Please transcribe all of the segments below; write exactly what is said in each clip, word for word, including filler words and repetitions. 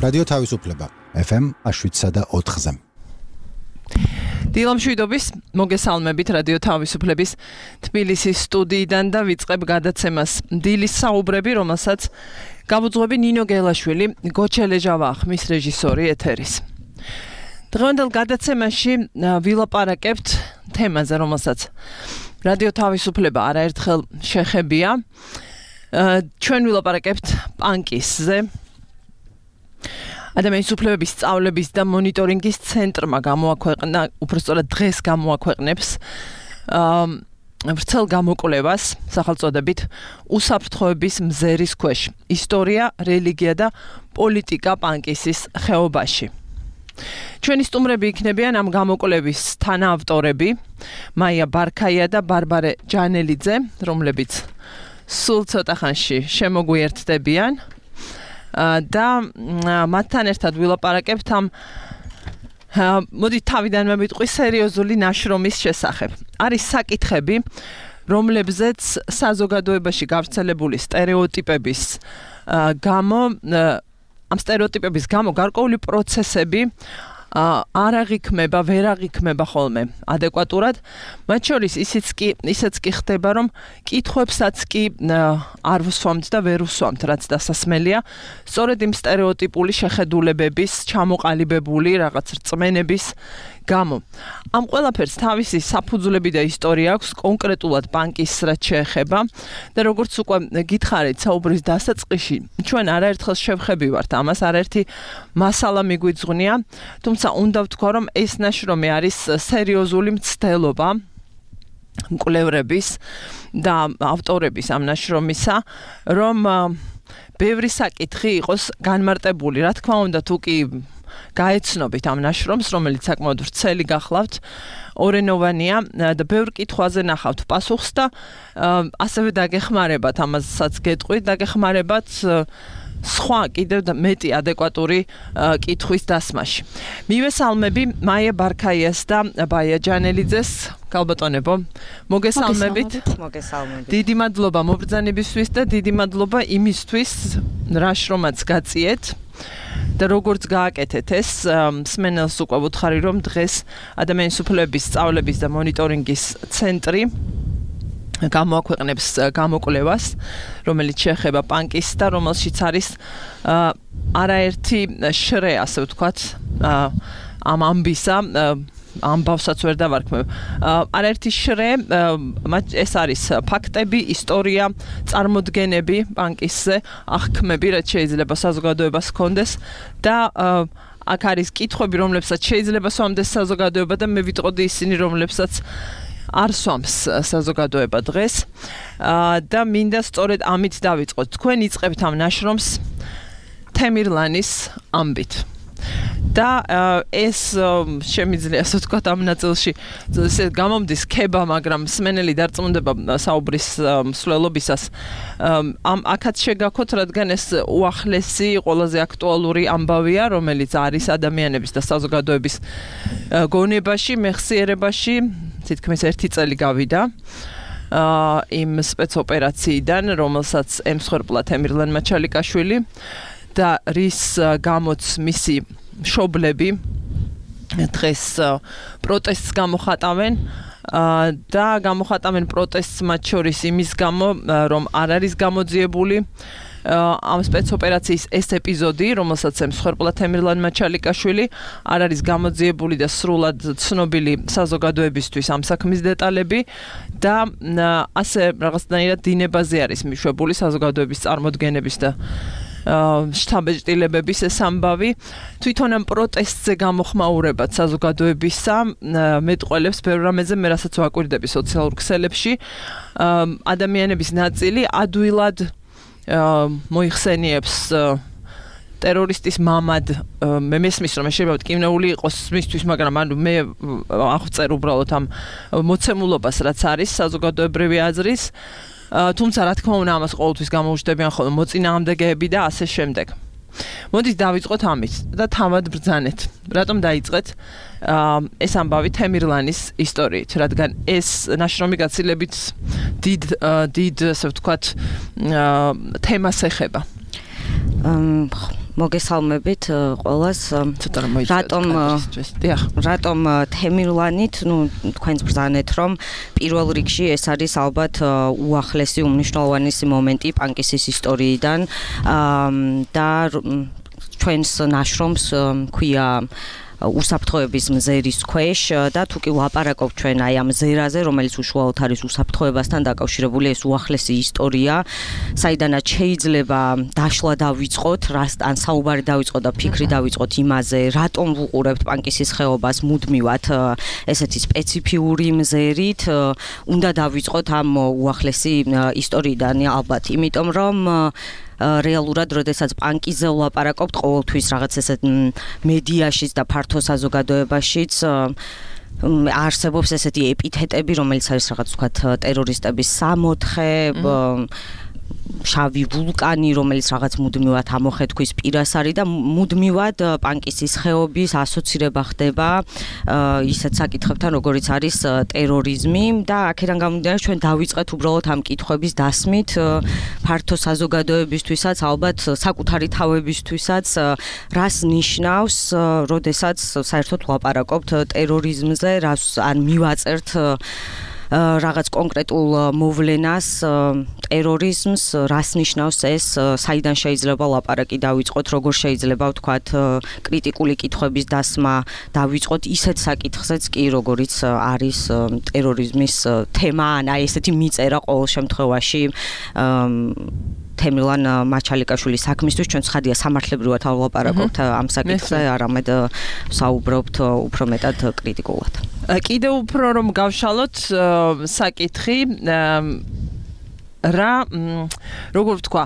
რადიო თავისუფლება ეფ ემ შვიდსა და ოთხზე. დილამშვიდობის მოგესალმებით რადიო თავისუფლების თბილისის სტუდიიდან და ვიწყებ გადაცემას დილის საუბრები, რომელსაც გავუძღვები ნინო გელაშვილი, გოჩელეჟავა ხმის რეჟისორი ეთერის. დღევანდელ გადაცემაში ვილაპარაკებთ თემაზე, რომელსაც რადიო თავისუფლება არაერთხელ შეხებია. ჩვენ ვილაპარაკებთ პანკისზე. ადამიანის უფლებების სწავლების და მონიტორინგის ცენტრმა გამოაქვეყნა, უпростоრად დღეს გამოაქვეყნებს ვრცელ გამოკვლევას სახელწოდებით უსაფრთხოების მზერის ქვეშ ისტორია, რელიგია და პოლიტიკა პანკისის ხეობაში. ჩვენი სტუმრები იქნებიან ამ გამოკვლევის თანაავტორები მაია ბარქაია და ბარბარე ჯანელიძე, რომლებიც სულ ცოტა ხანში შემოგვიერთდებიან. და მათთან ერთად ვილაპარაკებთ ამ მოდი თავიდან მევიტყვი სერიოზული ნაშრომის შესახებ. არის საკითხები, რომლებზეც საზოგადოებაში გავრცელებული სტერეოტიპების გამო ამ სტერეოტიპების გამო გარკვეული პროცესები არ აღიქმება, ვერ აღიქმება ხოლმე ადეკვატურად. მათ შორის ისიც კი, ისიც კი ხდება, რომ კითხვებსაც კი არ ვსვამთ და ვერ ვსვამთ, რაც დასასმელია. სწორედ იმ სტერეოტიპული შეხედულებების, ჩამოყალიბებული რაღაც რწმენების გამო. ამ ყველაფერს თავისი საფუძვლები და ისტორია აქვს კონკრეტულად პანკის რაც შეეხება და როგორც უკვე გითხარით საუბრის დასაწყისში, ჩვენ არაერთხელ შევხებივართ ამას, არაერთი მასალა მიგვიძღვნია, თუმცა უნდა ვთქვა, რომ ეს ნაშრომი არის სერიოზული მცდელობა მკვლევრების და ავტორების ამ ნაშრომისა, რომ ბევრი საკითხი იყოს განმარტებული. რა თქმა უნდა, თუ კი გაეცნობით ამ ნაშრომს, რომელიც საკმაოდ ვრცელი გახლავთ, ორენოვანია და ბევრ კითხვაზე ნახავთ პასუხს და ასევე დაგეხმარებათ, ამასაც გეტყვით, დაგეხმარებათ სხვა კიდევ მეტი ადეკვატური კითხვის დასმაში. მივესალმები მაია ბარქაიას და ბაია ჯანელიძეს. გალბატონებო, მოგესალმებით. მოგესალმებით. დიდი მადლობა მობრძანებისთვის და დიდი მადლობა იმისთვის, რა შრომაც გაწიეთ. და როგორც გააკეთეთ ეს, მსმენელს უკვე ვუთხარი, რომ დღეს ადამიანის უფლებების სწავლების და მონიტორინგის ცენტრი გამოაქვეყნებს გამოკვლევას, რომელიც შეეხება პანკის და რომელშიც არის არაერთი შრე, ასე ვთქვათ, ამ ამბისა, ამბავსაც ვერ დავარქმევ. არაერთი შრე, ეს არის ფაქტები, ისტორია, წარმოდგენები პანკისზე, აღქმები, რაც შეიძლება საზოგადოებას ჰქონდეს და აქ არის კითხვები, რომლებსაც შეიძლება სვამდეს საზოგადოება და მე ვიტყოდი ისინი, რომლებსაც არ სვამს საზოგადოება დღეს და მინდა სწორედ ამით დავიწყოთ. თქვენ იწყებთ ამ ნაშრომს თემირლანის ამბით. და ეს შემიძლია ასე ვთქვათ ამ ნაწილში ესე გამომდის ქება, მაგრამ მსმენელი დარწმუნდება საუბრის მსვლელობისას. ამ აქაც შეგაქოთ, რადგან ეს უახლესი, ყველაზე აქტუალური ამბავია, რომელიც არის ადამიანების და საზოგადოების გონებაში, მეხსიერებაში. თითქმის ერთი წელი გავიდა იმ სპეცოპერაციიდან, რომელსაც ემსხვერპლა თემირლან მაჩალიკაშვილი და რის გამოც მისი მშობლები დღეს პროტესტს გამოხატავენ და გამოხატავენ პროტესტს მათ შორის იმის გამო, რომ არ არის გამოძიებული ამ სპეცოპერაციის ეს ეპიზოდი, რომელსაც ემსხვერპლა თემირლან მაჩალიკაშვილი, არ არის გამოძიებული და სრულად ცნობილი საზოგადოებისთვის ამ საქმის დეტალები და ასე რაღაცნაირად დინებაზე არის მიშვებული საზოგადოების წარმოდგენების და შთაბეჭდილებების ეს ამბავი. თვითონ ამ პროტესტზე გამოხმაურებად საზოგადოებისა მეტყველებს ბევრ რამეზე, მე რასაც ვაკვირდები სოციალურ ქსელებში, ადამიანების ნაწილი ადვილად მოიხსენიებს ტერორისტის მამად. მე მესმის, რომ შეიძლება ტკივნეული იყოს მისთვის, მაგრამ ანუ მე აღწერ უბრალოდ ამ მოცემულობას, რაც არის საზოგადოებრივი აზრის. თუმცა რა თქმა უნდა ამას ყოველთვის გამოუჩნდებიან ხოლმე მოწინააღმდეგეები და ასე შემდეგ. მოდით დავიწყოთ ამით და თავად ბრძანეთ. რატომ დაიწყეთ ეს ამბავი თემირლანის ისტორიით, რადგან ეს ნაშრომი გაცილებით დიდ დიდ ასე ვთქვათ თემას ეხება. მოგესალმებით ყველას. ცოტა რომ მოიწევთ კადრისთვის. დიახ. რატომ თემირლანით, ну, თქვენს ბრძანეთ, რომ პირველ რიგში ეს არის ალბათ უახლესი უმნიშვნელოვანესი მომენტი პანკისის ისტორიიდან და ჩვენს ნაშრომს ქვია უსაფრთხოების მზერის ქვეშ და თუ კი ვლაპარაკობ ჩვენ აი ამ მზერაზე, რომელიც უშუალოდ არის უსაფრთხოებასთან დაკავშირებული, ეს უახლესი ისტორია, საიდანაც შეიძლება დაშლა დავიწყოთ, ან საუბარი დავიწყოთ და ფიქრი დავიწყოთ იმაზე, რატომ ვუყურებთ პანკისის ხეობას მუდმივად ესეთი სპეციფიური მზერით, უნდა დავიწყოთ ამ უახლესი ისტორიიდან ალბათ, იმიტომ რომ რეალურად, როდესაც პანკიზე ვლაპარაკობთ, ყოველთვის რაღაც ესეთ მედიაშიც და ფართო საზოგადოებაშიც არსებობს ესეთი ეპითეტები, რომელიც არის რაღაც ვთქვათ ტერორისტების სამოთხე, შავი ვულკანი, რომელიც რაღაც მუდმივად ამოხეთქვის პირას არის და მუდმივად პანკისის ხეობის ასოცირება ხდება ისეთ საკითხებთან, როგორიც არის ტერორიზმი და აქედან გამომდინარე ჩვენ დავიწყეთ უბრალოდ ამ კითხვების დასმით ფართო საზოგადოებისთვისაც, ალბათ საკუთარი თავებისთვისაც, რას ნიშნავს, როდესაც საერთოდ ვლაპარაკობთ ტერორიზმზე, რას ან მივაწერთ რაღაც კონკრეტულ მოვლენას, ტერორიზმს, რას ნიშნავს ეს, საიდან შეიძლება ლაპარაკი დავიწყოთ, როგორ შეიძლება ვთქვათ კრიტიკული კითხვების დასმა დავიწყოთ ისეთ საკითხზეც კი, როგორიც არის ტერორიზმის თემა, ან აი ესეთი მიწერა ყოველ შემთხვევაში თემილან მაჩალიკაშვილის საქმისთვის ჩვენ ცხადია სამართლებრივად ვლაპარაკობთ ამ საკითხზე, არამედ საუბრობთ უფრო მეტად კრიტიკულად. კიდევ უფრო რომ გავშალოთ საკითხი რა როგორ ვთქვა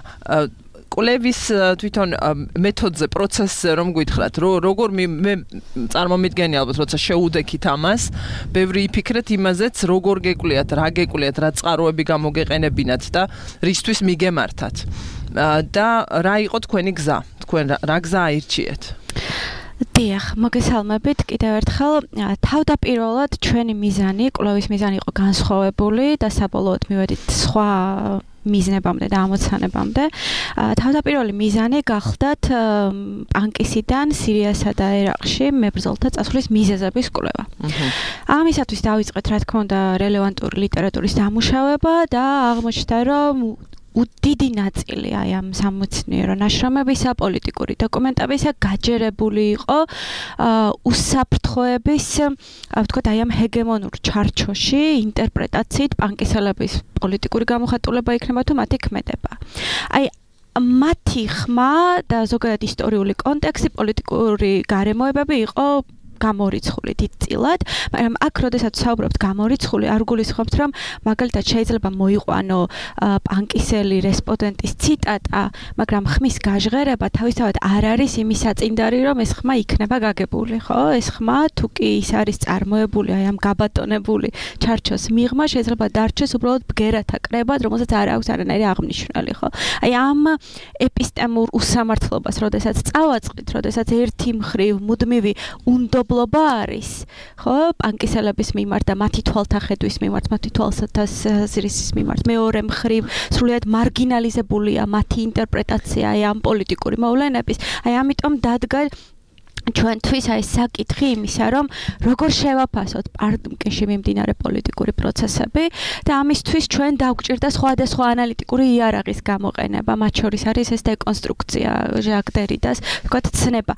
კვლევის თვითონ მეთოდზე, პროცესზე რომ გითხრათ, როგორ მე წარმომიდგენი ალბათ, როცა შეუდექით ამას, ბევრი იფიქრეთ იმაზეც, როგორ გეკვლიათ, რა გეკვლიათ, რა წყაროები გამოგეყენებინათ და რისთვის მიგემართათ. და რა იყო თქვენი გზა? თქვენ რა გზა აირჩიეთ? დიახ, მოგესალმებით კიდევ ერთხელ. თავდაპირველად ჩვენი მიზანი, კვლევის მიზანი იყო განსხვავებული და საბოლოოდ მივედით სხვა მიზნებამდე და ამოცანებამდე. თავდაპირველი მიზანი გახლდათ პანკისიდან სირიასა და ერაყში მებრძოლთა წასვლის მიზეზების კვლევა. ამისათვის დავიწყეთ, რა თქმა უნდა, რელევანტური ლიტერატურის დამუშავება და აღმოჩნდა, რომ დიდი ნაწილი აი ამ სამეცნიერო ნაშრომებისა, პოლიტიკური დოკუმენტებისა გაჯერებული იყო უსაფრთხოების, ვთქვათ, აი ამ ჰეგემონურ ჩარჩოში ინტერპრეტაციით პანკისელების პოლიტიკური გამოხატულება იქნება თუ მათი ქმედება. აი მათი ხმა და ზოგადად ისტორიული კონტექსტი, პოლიტიკური გარემოებები იყო გამორიცხული დიდწილად, მაგრამ აქ როდესაც საუბრობთ გამორიცხული, არ გულისხმობთ, რომ მაგალითად შეიძლება მოიყვანო პანკისელი რესპონდენტის ციტატა, მაგრამ ხმის გაჟღერება თავისთავად არ არის იმის საწინდარი, რომ ეს ხმა იქნება გაგებული, ხო? ეს ხმა თუ კი ის არის წარმოებული აი ამ გაბატონებული ჩარჩოს მიღმა, შეიძლება დარჩეს უბრალოდ ბგერათა კრებად, რომელსაც არ აქვს არანაირი აღნიშნული, ხო? აი ამ ეპისტემურ უსამართლობას, როდესაც წავაწყდით, როდესაც ერთი მხრივ მუდმივი უნდობლობა არის, ხო, პანკისელების მიმართ და მათი თვალთახედვის მიმართ, მათი თვალსაზრისის მიმართ, მეორე მხრივ სრულიად მარგინალიზებულია მათი ინტერპრეტაცია აი ამ პოლიტიკური მოვლენების. აი ამიტომ დადგა ჩვენთვის აი საკითხი იმისა, რომ როგორ შევაფასოთ პანკისში მიმდინარე პოლიტიკური პროცესები და ამისთვის ჩვენ დაგვჭირდა სხვადასხვა ანალიტიკური იარაღის გამოყენება, მათ შორის არის ეს დეკონსტრუქცია, ჟაკ დერიდას, ვთქვათ, ცნება.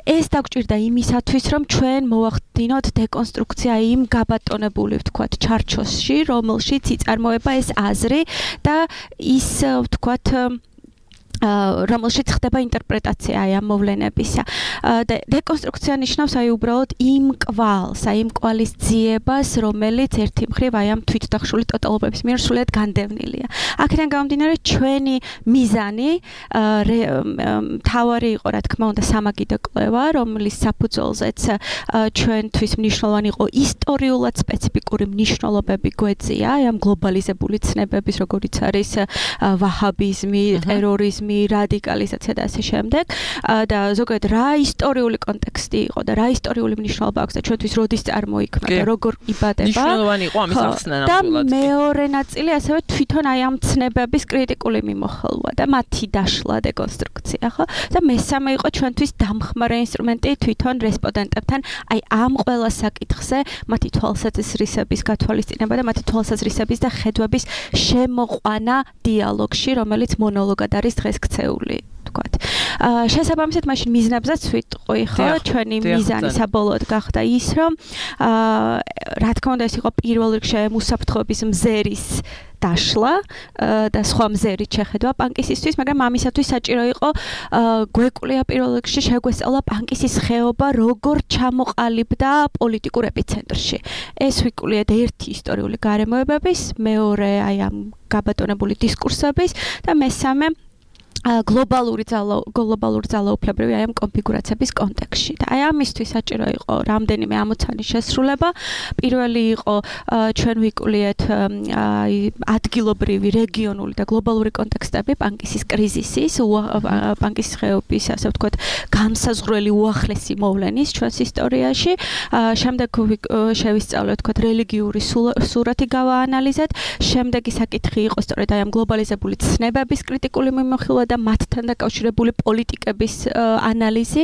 ეს დაგვჭირდა იმისათვის, რომ ჩვენ მოვახდინოთ დეკონსტრუქცია იმ გაბატონებული, ვთქვათ, ჩარჩოში, რომელშიც იწარმოება ეს აზრი და ის, ვთქვათ, რომელშიც ხდება ინტერპრეტაცია აი ამ მოვლენებისა. დეკონსტრუქცია ნიშნავს აი უბრალოდ იმ კვალს, აი იმ კვალის ძიებას, რომელიც ერთი მხრივ აი ამ თვითდახშული ტოტალობების მიერ სრულიად განდევნილია. აქედან გამომდინარე, ჩვენი მიზანი მთავარი იყო, რა თქმა უნდა, სამაგიდო კვლევა, რომლის საფუძველზეც ჩვენთვის მნიშვნელოვანი იყო ისტორიულად სპეციფიკური მნიშვნელობები გვეწია, აი ამ გლობალიზებული ცნებების, როგორიც არის ვაჰაბიზმი, ტერორიზმი, ექსტრემიზმი, რადიკალიზაცია და ასე შემდეგ. და ზოგადად რა ისტორიული კონტექსტი იყო და რა ისტორიული მნიშვნელობა აქვს და ჩვენთვის როდის წარმოიქმნა და როგორ იბადება. მნიშვნელოვანი იყო ამის ახსნა ნამდვილად. და მეორე ნაწილი ასევე თვითონ აი ამ ცნებების კრიტიკული მიმოხილვა და მათი დაშლა დეკონსტრუქცია, ხო? და მესამე იყო ჩვენთვის დამხმარე ინსტრუმენტი თვითონ რესპონდენტებთან აი ამ ყველა საკითხზე მათი თვალსაზრისების გათვალისწინება და მათი თვალსაზრისების და ხედვების შემოყვანა დიალოგში, რომელიც მონოლოგად არის დღეს ქცეული. თქვათ. აა შესაბამისად მაშინ მიზნებზეც ვიტყვი, ხო? ჩვენი მიზანი საბოლოოდ გახდა ის, რომ აა რა თქმა უნდა ეს იყო პირველ რიგში უსაფრთხოების მზერის დაშლა და სხვა მზერით შეხედვა პანკისისთვის, მაგრამ ამისათვის საჭირო იყო გვეკვლია პირველ რიგში შეგვესწავლა პანკისის ხეობა როგორ ჩამოყალიბდა პოლიტიკურ ეპიცენტრში. ეს ვიკვლიეთ ერთი ისტორიული გარემოებების, მეორე აი ამ გაბატონებული დისკურსების და მესამე გლობალური ძალა გლობალური ძალაუფლებრივი აი ამ კონფიგურაციების კონტექსტში. და აი ამისთვის საჭირო იყო რამდენიმე ამოცანის შესრულება. პირველი იყო ჩვენ ვიკვლიეთ აი ადგილობრივი, რეგიონული და გლობალური კონტექსტები პანკისის კრიზისის, პანკისის ხეობის, ასე ვთქვათ, განსაზღვრელი უახლესი მოვლენის ჩვენს ისტორიაში. შემდეგ შევისწავლეთ, ვთქვათ, რელიგიური სურათი გავაანალიზეთ. შემდეგი საკითხი იყო სწორედ აი ამ გლობალიზებული ცნებების კრიტიკული მიმოხილვა და მათთან დაკავშირებული პოლიტიკების ანალიზი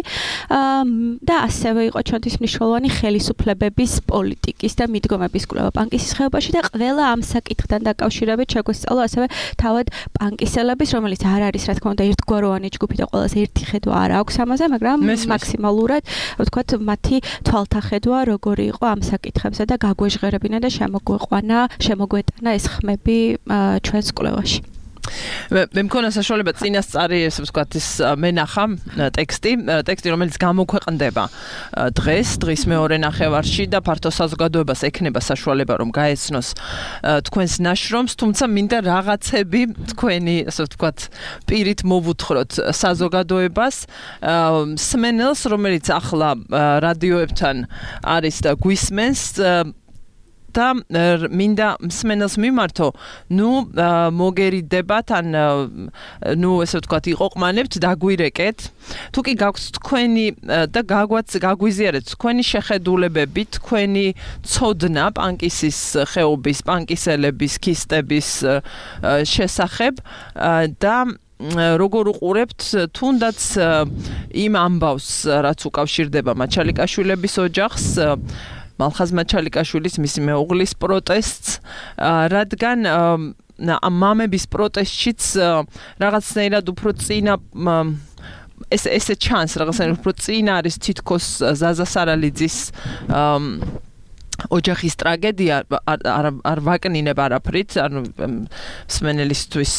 და ასევე იყო ჩვენთვის მნიშვნელოვანი ხელისუფლებების პოლიტიკის და მიდგომების კვლევა პანკისის ხეობაში და ყველა ამ საკითხთან დაკავშირებით შეგვესწავლა ასევე თავად პანკისელების, რომელიც არ არის რა თქმა უნდა ერთგვაროვანი ჯგუფი და ყველას ერთი ხედვა არ აქვს ამაზე, მაგრამ მაქსიმალურად ვთქვათ მათი თვალთახედვა როგორი იყო ამ საკითხებზე და გაგვეჟღერებინა და შემოგვეყვანა, შემოგვეტანა ეს ხმები ჩვენს კვლევაში. მე მქონა საშუალება წინასწარი ესე ვთქვათ ის მენახა ტექსტი ტექსტი რომელიც გამოქვეყნდება დღეს დღის მეორე ნახევარში და ფართო საზოგადოებას ექნება საშუალება რომ გაეცნოს თქვენს ნაშრომს, თუმცა მინდა რაღაცები თქვენი ასე ვთქვათ პირით მოვუთხროთ საზოგადოებას, სმენელს რომელიც ახლა რადიოებთან არის და გვისმენს და მინდა მსმენელს მიმართო, ნუ მოგერიდებათ ან ნუ ესე ვთქვათ იყოყმანებთ, დაგვირეკეთ. თუ კი გაქვთ თქვენი და გაგვაც გაგვიზიარეთ თქვენი შეხედულებები, თქვენი ცოდნა პანკისის ხეობის, პანკისელების, ქისტების შესახებ და როგორ უყურებთ თუნდაც იმ ამბავს, რაც უკავშირდება მაჩალიკაშვილების ოჯახს, მალხაზ მაჩალიკაშვილის მისი მეუღლის პროტესტს, რადგან მამების პროტესტშიც რაღაცნაირად უფრო წინა ეს ესე ჩანს, რაღაცნაირად უფრო წინა არის თითქოს ზაზა სარალიძის ოჯახის ტრაგედია არ ვაკნინებ არაფრით, ანუ მსმენელისთვის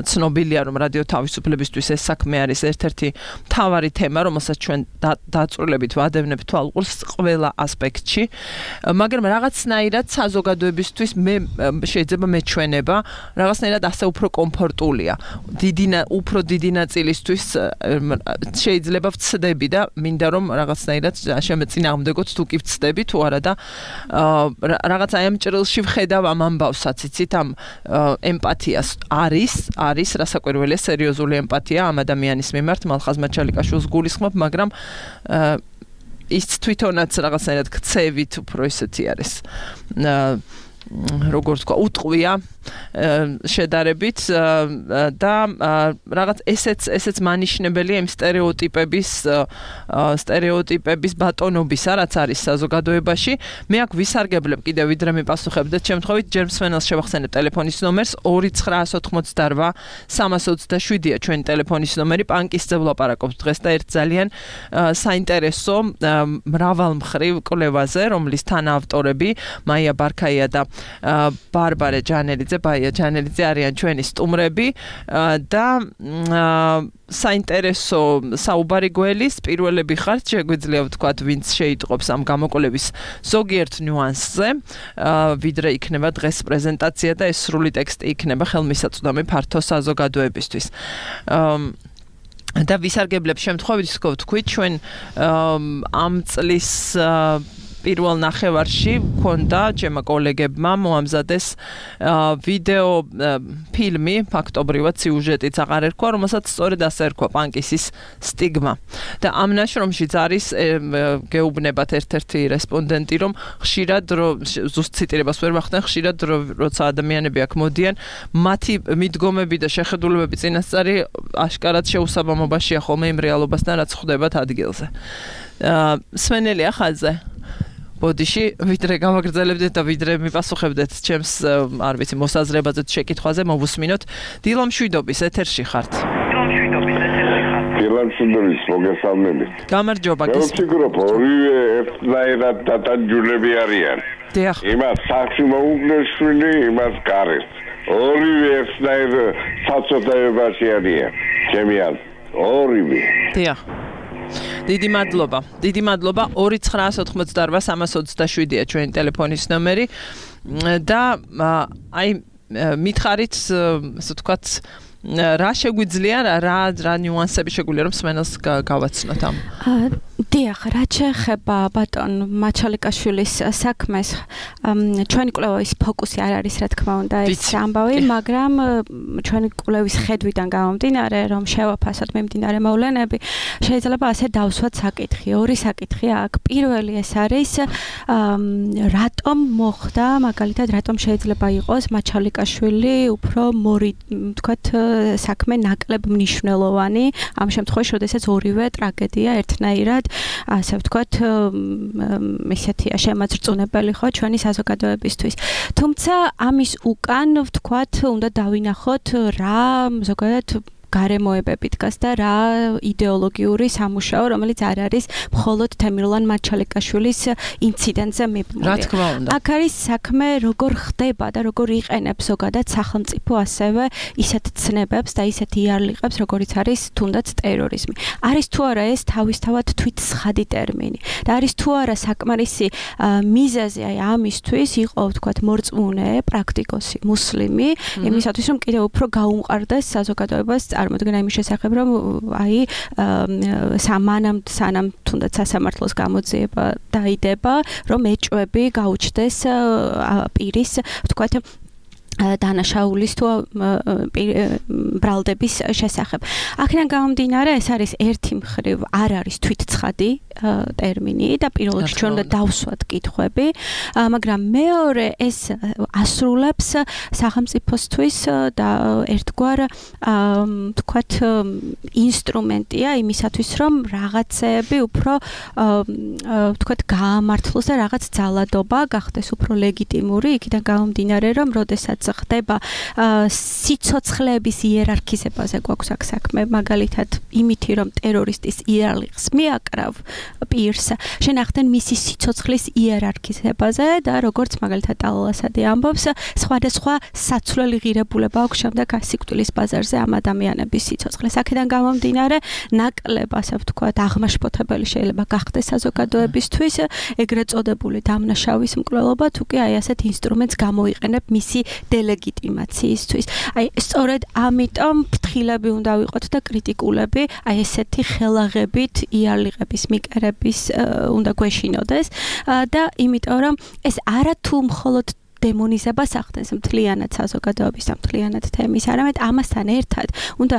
ცნობილია რომ რადიო თავისუფლებისთვის ეს საქმე არის ერთ-ერთი მთავარი თემა, რომელსაც ჩვენ დაწვრილებით ვადევნებთ თვალყურს ყველა ასპექტში, მაგრამ რაღაცნაირად საზოგადოებისთვის მე შეიძლება მეჩვენება, რაღაცნაირად ასე უფრო კომფორტულია. დიდი უფრო დიდი ნაწილისთვის შეიძლება ვცდები და მინდა რომ რაღაცნაირად შემეწინააღმდეგოთ თუ კი ვცდები თუ არა და რაღაც აი ამ ჭრილში ვხედავ ამ ამბავსაც, იცით, ამ ემპათიას არის, არის რასაკვირველია სერიოზული ემპათია ამ ადამიანის მიმართ, მალხაზ მაჩალიკაშვილს გულისხმობ, მაგრამ ის თვითონაც რაღაცნაირად ქცევით უფრო ისეთი არის. როგორც თქვა, უტყვია შედარებით და რაღაც ესეც ესეც მანიშნებელია იმ სტერეოტიპების სტერეოტიპების ბატონობისა, რაც არის საზოგადოებაში. მე აქ ვისარგებლებ კიდევ ვიდრე მიპასუხებდეთ შემთხვევით ჯერ მსმენელს შევახსენებ ტელეფონის ნომერს ორი ცხრა ოთხმოცდარვა სამას ოცდაშვიდია ჩვენი ტელეფონის ნომერი, პანკისზე ვლაპარაკობთ დღეს და ერთ ძალიან საინტერესო მრავალმხრივ კვლევაზე, რომლის თანაავტორები მაია ბარქაია და ბარბარე ჯანელიძე ბაია ჯანელიძე არიან ჩვენი სტუმრები და საინტერესო საუბარი გველის პირველები ხართ, შეგვიძლია ვთქვათ, ვინც შეიტყობს ამ გამოკვლევის ზოგიერთ ნიუანსზე, ვიდრე იქნება დღეს პრეზენტაცია და ეს სრული ტექსტი იქნება ხელმისაწვდომი ფართო საზოგადოებისთვის. და ვისარგებლებ შემთხვევით, ვთქვით, ჩვენ ამ წლის პირველ ნახევარში მქონდა ჩემმა კოლეგებმა მოამზადეს ვიდეო ფილმი, ფაქტობრივად სიუჟეტიც აღარ ერქვა, რომელსაც სწორედ ასე ერქვა პანკისის სტიგმა. და ამ ნაშრომშიც არის გეუბნებათ ერთ-ერთი რესპონდენტი, რომ ხშირად ზუსტ ციტირებას ვერ ვახდენ, ხშირად როცა ადამიანები აქ მოდიან, მათი მიდგომები და შეხედულებები წინასწარი აშკარად შეუსაბამობაშია ხოლმე იმ რეალობასთან, რაც ხდებათ ადგილზე. სვენელია ხაზზე. ბოდიში, ვიდრე გამაგრძელებდეთ და ვიდრე მიპასუხებდეთ ჩემს, არ ვიცი, მოსაზრებაზე თუ შეკითხვაზე, მოვუსმინოთ. დილა მშვიდობის ეთერში ხართ. დილა მშვიდობის ეთერში ხართ. დილა მშვიდობის, მოგესალმებით. გამარჯობა, გისმენთ. მე ვფიქრობ, ორივე ერთნაირად დატანჯულები არიან. დიახ. იმას სახში მოუგდეს შვილი, იმას გარეს. ორივე ერთნაირ საცოტაებაში არიან. ჩემი აზრით, ორივე. დიახ. დიდი მადლობა. დიდი მადლობა. ორი ცხრაასი ოთხმოცდაორვა სამას ოცდაშვიდია ჩვენი ტელეფონის ნომერი და აი მითხარით, ასე ვთქვათ, რა შეგვიძლია, რა რა ნიუანსები შეგვიძლია რომ სმენელს გავაცნოთ ამ. დიახ, რაც შეეხება ბატონ მაჩალიკაშვილის საქმეს, ჩვენი კვლევის ფოკუსი არ არის, რა თქმა უნდა, ეს ამბავი, მაგრამ ჩვენი კვლევის ხედვიდან გამომდინარე, რომ შევაფასოთ მიმდინარე მოვლენები, შეიძლება ასე დავსვათ საკითხი, ორი საკითხი აქვს. პირველი ეს არის, რატომ მოხდა, მაგალითად, რატომ შეიძლება იყოს მაჩალიკაშვილი უფრო მორი, ვთქვათ, საქმე ნაკლებ მნიშვნელოვანი, ამ შემთხვევაში, როდესაც ორივე ტრაგედია ერთნაირად ასე ვთქვათ, ესეთია შემაძრწუნებელი ხო ჩვენი საზოგადოებისთვის. თუმცა ამის უკან ვთქვათ, უნდა დავინახოთ რა ზოგადად გარემოებები დგას და რა იდეოლოგიური სამუშაო, რომელიც არ არის მხოლოდ თემირლან მაჩალიკაშვილის ინციდენტზე მიბმული. რა თქმა უნდა. აქ არის საქმე როგორ ხდება და როგორ იყენებს ზოგადად სახელმწიფო ასევე ისეთ ცნებებს და ისეთ იარლიყებს, როგორიც არის თუნდაც ტერორიზმი. არის თუ არა ეს თავისთავად თვით სხადი ტერმინი და არის თუ არა საკმარისი მიზეზი აი ამისთვის იყო ვთქვათ მორწმუნე, პრაქტიკოსი, მუსლიმი, იმისათვის რომ კიდევ უფრო გაუმყარდეს საზოგადოებას წარმოდგენა იმის შესახებ, რომ აი სამანამ სანამ თუნდაც სასამართლოს გამოძიება დაიდება, რომ ეჭვები გაუჩნდეს პირის, ვთქვათ, დანაშაულის თუ ბრალდების შესახებ. აქედან გამომდინარე, ეს არის ერთი მხრივ არ არის თვითცხადი ტერმინი და პირველ რიგში ჩვენ უნდა დავსვათ კითხვები, მაგრამ მეორე ეს ასრულებს სახელმწიფოსთვის და ერთგვარ ვთქვათ ინსტრუმენტია იმისათვის, რომ რაღაცეები უფრო ვთქვათ გაამართლოს და რაღაც ძალადობა გახდეს უფრო ლეგიტიმური, იქიდან გამომდინარე, რომ როდესაც ხდება სიცოცხლეების იერარქიზებაზე გვაქვს აქ საქმე, მაგალითად იმითი, რომ ტერორისტის იარლიღს მიაკრავ პირს, შენახდნენ მისი სიცოცხლის იერარქიზებაზე და როგორც მაგალითად ალალასადი ამბობს, სხვადასხვა საცვლელი ღირებულება აქვს შემდეგ სიკვდილის ბაზარზე ამ ადამიანების სიცოცხლეს. აქედან გამომდინარე, ნაკლებ, ასე ვთქვათ, აღმაშფოთებელი შეიძლება გახდეს საზოგადოებისთვის ეგრეთ წოდებული დამნაშავის მკვლელობა, თუ კი აი ასეთ ინსტრუმენტს გამოიყენებ მისი დელეგიტიმაციისთვის. აი სწორედ ამიტომ ფრთხილები უნდა ვიყოთ და კრიტიკულები, აი ესეთი ხელაღებით იარლიღების მიკერების უნდა გვეშინოდეს და იმიტომ რომ ეს არა თუ მხოლოდ დემონიზებას ახდენს მთლიანად საზოგადოების და მთლიანად თემის, არამედ ამასთან ერთად უნდა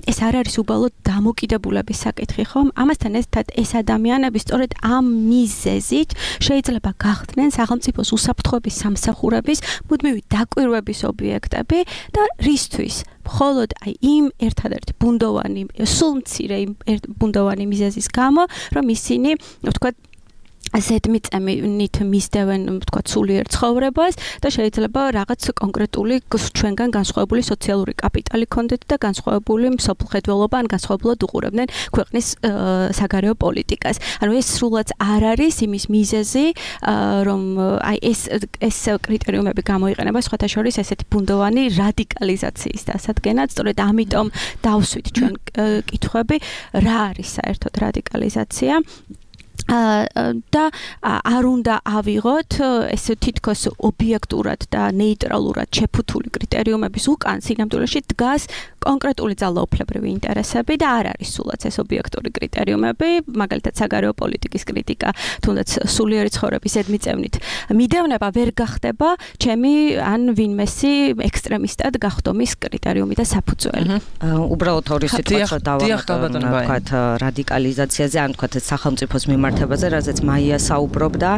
ეს არ არის უბრალოდ დამოკიდებულების საკითხი, ხომ? ამასთან ერთად ეს ადამიანები სწორედ ამ მიზეზით შეიძლება გახდნენ სახელმწიფოს უსაფრთხოების სამსახურების მუდმივი დაკვირვების ობიექტები და რისთვის? მხოლოდ აი იმ ერთადერთი ბუნდოვანი, სულ მცირე იმ ბუნდოვანი მიზეზის გამო, რომ ისინი, ვთქვათ, ზედმიწევნით მისდევენ, ვთქვათ, სულიერ ცხოვრებას და შეიძლება რაღაც კონკრეტული ჩვენგან განსხვავებული სოციალური კაპიტალი ქონდეთ და განსხვავებული მსოფლმხედველობა ან განსხვავებულად უყურებდნენ ქვეყნის საგარეო პოლიტიკას. ანუ ეს სრულად არ არის იმის მიზეზი, რომ აი ეს ეს კრიტერიუმები გამოიყენება სხვათა შორის ესეთი ბუნდოვანი რადიკალიზაციის დასადგენად, სწორედ ამიტომ დავსვით ჩვენ კითხვები, რა არის საერთოდ რადიკალიზაცია. და არ უნდა ავიღოთ ეს თითქოს ობიექტურად და ნეიტრალურად შეფუთული კრიტერიუმების უკან სინამდვილეში დგას კონკრეტული ძალაუფლებრივი ინტერესები და არ არის სულაც ეს ობიექტური კრიტერიუმები, მაგალითად საგარეო პოლიტიკის კრიტიკა, თუნდაც სულიერი ცხოვრების ზედმიწევნით მიდევნება ვერ გახდება ჩემი ან ვინმესი ექსტრემისტად გახდომის კრიტერიუმი და საფუძველი. უბრალოდ ორი სიტყვა დავამატო, ვთქვათ, რადიკალიზაციაზე, ან ვთქვათ, სახელმწიფოს მიმართებაზე, რაზეც მაია საუბრობდა.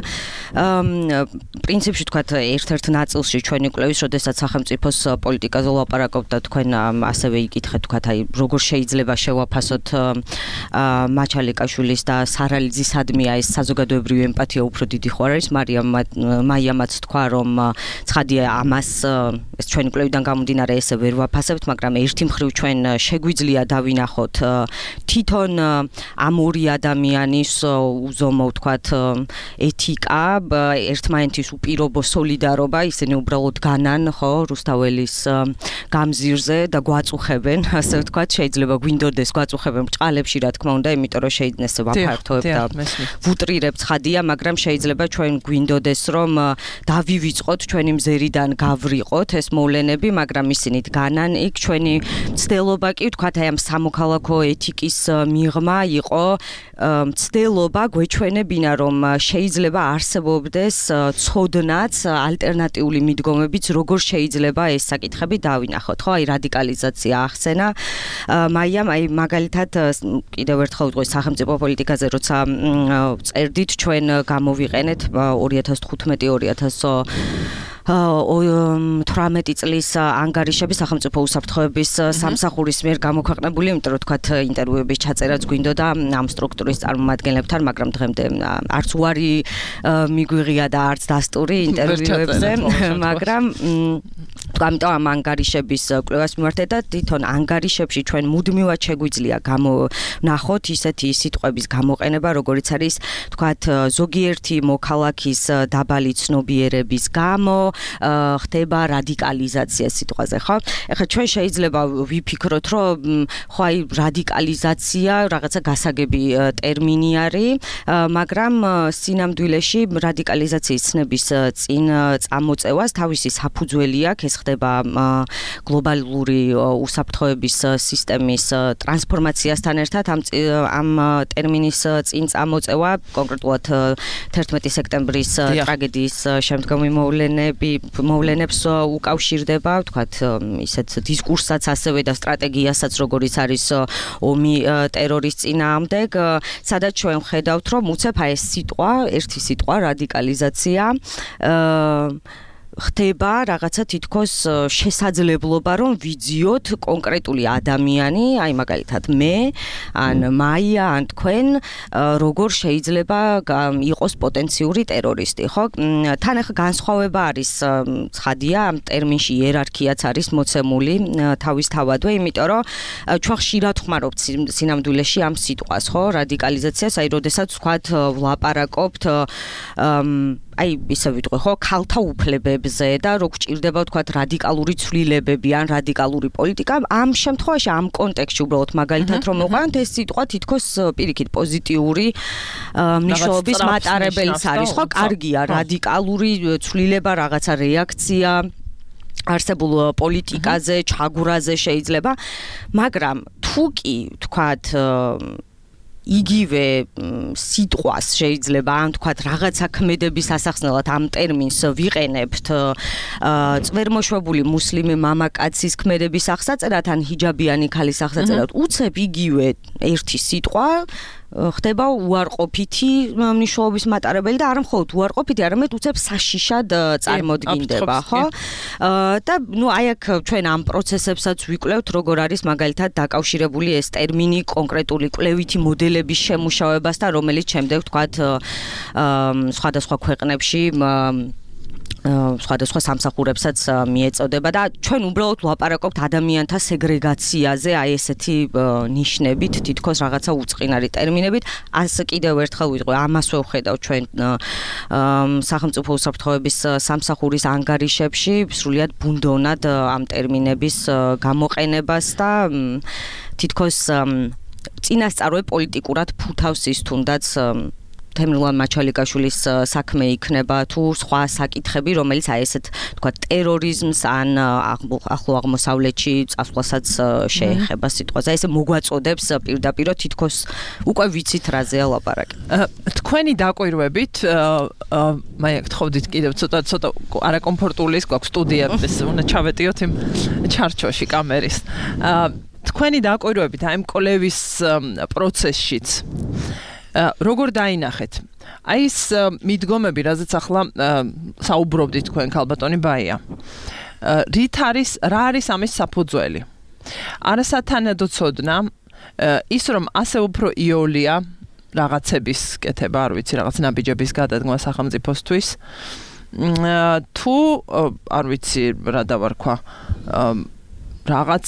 პრინციპში ვთქვათ, ერთ-ერთ ნაწილში ჩვენი კვლევის, როდესაც სახელმწიფოს პოლიტიკაზე ვლაპარაკობთ და თქვენ ასევე იკითხეთ, ვთქვათ, აი როგორ შეიძლება შევაფასოთ მაჩალიკაშვილის და სარალიძისადმი ეს საზოგადოებრივი ემპათია უფრო დიდი ხო არის. მაიამაც თქვა, რომ ცხადია ამას ეს ჩვენი კვლევიდან გამომდინარე ესე ვერ ვაფასებთ, მაგრამ ერთი მხრივ ჩვენ შეგვიძლია დავინახოთ თვითონ ამ ორი ადამიანის უზომო ვთქვათ ეთიკა, ერთმანეთის უპირობო სოლიდარობა, ისინი უბრალოდ განან ხო რუსთაველის გამზირზე და გვაწუხებენ, ასე ვთქვათ, შეიძლება გვინდოდეს გვაწუხებენ ბრჭყალებში, რა თქმა უნდა, იმიტომ რომ შეიძლება ესე ვაფართოებ და ვუტრირებ ცხადია, მაგრამ შეიძლება ჩვენ გვინდოდეს რომ დავივიწყოთ ჩვენი მზერიდან გავრიყოთ ეს მოვლენები, მაგრამ ისინი დგანან იქ. ჩვენი მცდელობა კი ვთქვათ, აი ამ სამოქალაქო ეთიკის მიღმა იყო მცდელობა გვეჩვენებინა, რომ შეიძლება არსებობდეს ცოდნაც, ალტერნატიული მიდგომებიც, როგორ შეიძლება ეს საკითხები დავინახოთ. ხო, აი რადიკალიზაცია ახსენა. მაიამ აი მაგალითად კიდევ ერთხელ ვიტყვი სახელმწიფო პოლიტიკაზე, როცა წერდით, ჩვენ გამოვიყენეთ ორი ათას თხუთმეტი ორი ათას თვრამეტი წლის ანგარიშები სახელმწიფო უსაფრთხოების სამსახურის მიერ გამოქვეყნებული, იმიტომ რომ თქვათ ინტერვიუების ჩაწერაც გვინდოდა ამ სტრუქტურის წარმომადგენლებთან, მაგრამ დღემდე არც უარი მიგვიღია და არც დასტური ინტერვიუებზე, მაგრამ ამიტომ ამ ანგარიშების კვლევას მიმართეთ და თვითონ ანგარიშებში ჩვენ მუდმივად შეგვიძლია გამონახოთ ისეთი სიტყვების გამოყენება, როგორიც არის თქვათ ზოგიერთი მოქალაქის დაბალი ცნობიერების გამო ხდება რადიკალიზაცია სიტყვაზე, ხო? ეხლა ჩვენ შეიძლება ვიფიქროთ, რომ ხო აი რადიკალიზაცია რაღაცა გასაგები ტერმინი არის, მაგრამ სინამდვილეში რადიკალიზაციის ცნების წინ წამოწევას თავისი საფუძველი აქვს, ეს ხდება გლობალური უსაფრთხოების სისტემის ტრანსფორმაციასთან ერთად ამ ამ ტერმინის წინ წამოწევა კონკრეტულად თერთმეტი სექტემბრის ტრაგედიის შემდგომი მოვლენები მოვლენებს უკავშირდება, ვთქვათ, ისეთ დისკურსსაც ასევე და სტრატეგიასაც, როგორიც არის ომი ტერორის წინააღმდეგ, სადაც ჩვენ ვხედავთ, რომ უცებ აი ეს სიტყვა, ერთი სიტყვა რადიკალიზაცია ხდება რაღაცა თითქოს შესაძლებლობა, რომ ვიძიოთ კონკრეტული ადამიანი, აი მაგალითად მე, ან მაია, ან თქვენ, როგორ შეიძლება იყოს პოტენციური ტერორისტი, ხო? თან ახლა განსხვავება არის ცხადია, ამ ტერმინში იერარქიაც არის მოცემული თავისთავადვე, იმიტომ რომ ჩვენ ხშირად ვხმარობთ სინამდვილეში ამ სიტყვას, ხო? რადიკალიზაციას, აი როდესაც ვთქვათ ვლაპარაკობთ აი ისე ვიტყვი ხო ქალთა უფლებებზე და რო გჭირდება ვთქვათ რადიკალური ცვლილებები ან რადიკალური პოლიტიკა, ამ შემთხვევაში ამ კონტექსტში უბრალოდ მაგალითად რომ მოყვანთ, ეს სიტყვა თითქოს პირიქით პოზიტიური მნიშვნელობის მატარებელიც არის, ხო? კარგია რადიკალური ცვლილება, რაღაცა რეაქცია არსებულ პოლიტიკაზე, ჩაგვრაზე შეიძლება, მაგრამ თუ კი ვთქვათ იგივე სიტყვას შეიძლება ან თქვათ რაღაცა ქმედების ასახსნელად ამ ტერმინს ვიყენებთ წვერმოშვებული მუსლიმი მამაკაცის ქმედების აღსაწერად ან ჰიჯაბიანი ქალის აღსაწერად, უცებ იგივე ერთი სიტყვა ხდება უარყოფითი მნიშვნელობის მატარებელი და არა მხოლოდ უარყოფითი, არამედ უცებ საშიშად წარმოდგინდება, ხო? და ნუ აი აქ ჩვენ ამ პროცესებსაც ვიკვლევთ, როგორ არის მაგალითად დაკავშირებული ეს ტერმინი კონკრეტული კვლევითი მოდელების შემუშავებასთან, რომელიც შემდეგ ვთქვათ სხვადასხვა ქვეყნებში სხვადასხვა სამსახურებსაც მიეწოდება და ჩვენ უბრალოდ ვლაპარაკობთ ადამიანთა სეგრეგაციაზე, აი ესეთი ნიშნებით, თითქოს რაღაცა უწყინარი ტერმინებით. ასე კიდევ ერთხელ ვიტყვი, ამასვე ვხედავ ჩვენ სახელმწიფო უსაფრთხოების სამსახურის ანგარიშებში, სრულიად ბუნდოვნად ამ ტერმინების გამოყენებას და თითქოს წინასწარვე პოლიტიკურად ფუთავს ის თუნდაც თემურლან მაჩალიკაშვილის საქმე იქნება თუ სხვა საკითხები, რომელიც აი ესეთ თქვა ტერორიზმს ან ახლო აღმოსავლეთში წასვლასაც შეეხება სიტყვაზე. აი ესე მოგვაწოდებს პირდაპირ თითქოს უკვე ვიცით რაზეა ლაპარაკი. თქვენი დაკვირვებით მაი გთხოვდით კიდევ ცოტა ცოტა არაკომფორტული ის გვაქვს სტუდიების უნდა ჩავეტიოთ იმ ჩარჩოში კამერის. თქვენი დაკვირვებით აი ამ კოლევის პროცესშიც როგორ დაინახეთ? აი ეს მიდგომები, რაზეც ახლა საუბრობდით თქვენ ქალბატონი ბაია. რით არის, რა არის ამის საფუძველი? არასათანადო ცოდნა ის რომ ასე უფრო იოლია რაღაცების კეთება, არ ვიცი, რაღაც ნაბიჯების გადადგმა სახელმწიფოსთვის. თუ არ ვიცი რა დავარქვა რაღაც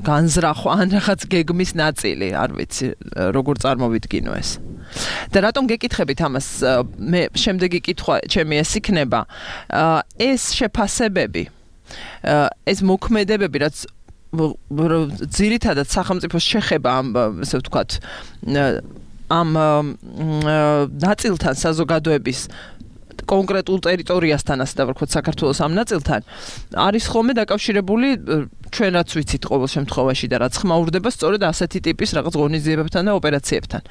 განზრახვა ან რაღაც გეგმის ნაწილი, არ ვიცი, როგორ წარმოვიდგინო ეს. და რატომ გეკითხებით ამას? მე შემდეგი კითხვა ჩემი ეს იქნება, ეს შეფასებები, ეს მოქმედებები, რაც ძირითადად სახელმწიფოს შეხება ამ, ესე ვთქვათ, ამ ნაწილთან საზოგადოების კონკრეტულ ტერიტორიასთან, ასე დავარქვათ, საქართველოს ამ ნაწილთან არის ხოლმე დაკავშირებული ჩვენ რაც ვიცით ყოველ შემთხვევაში და რაც ხმაურდება სწორედ ასეთი ტიპის რაღაც ღონისძიებებთან და ოპერაციებთან.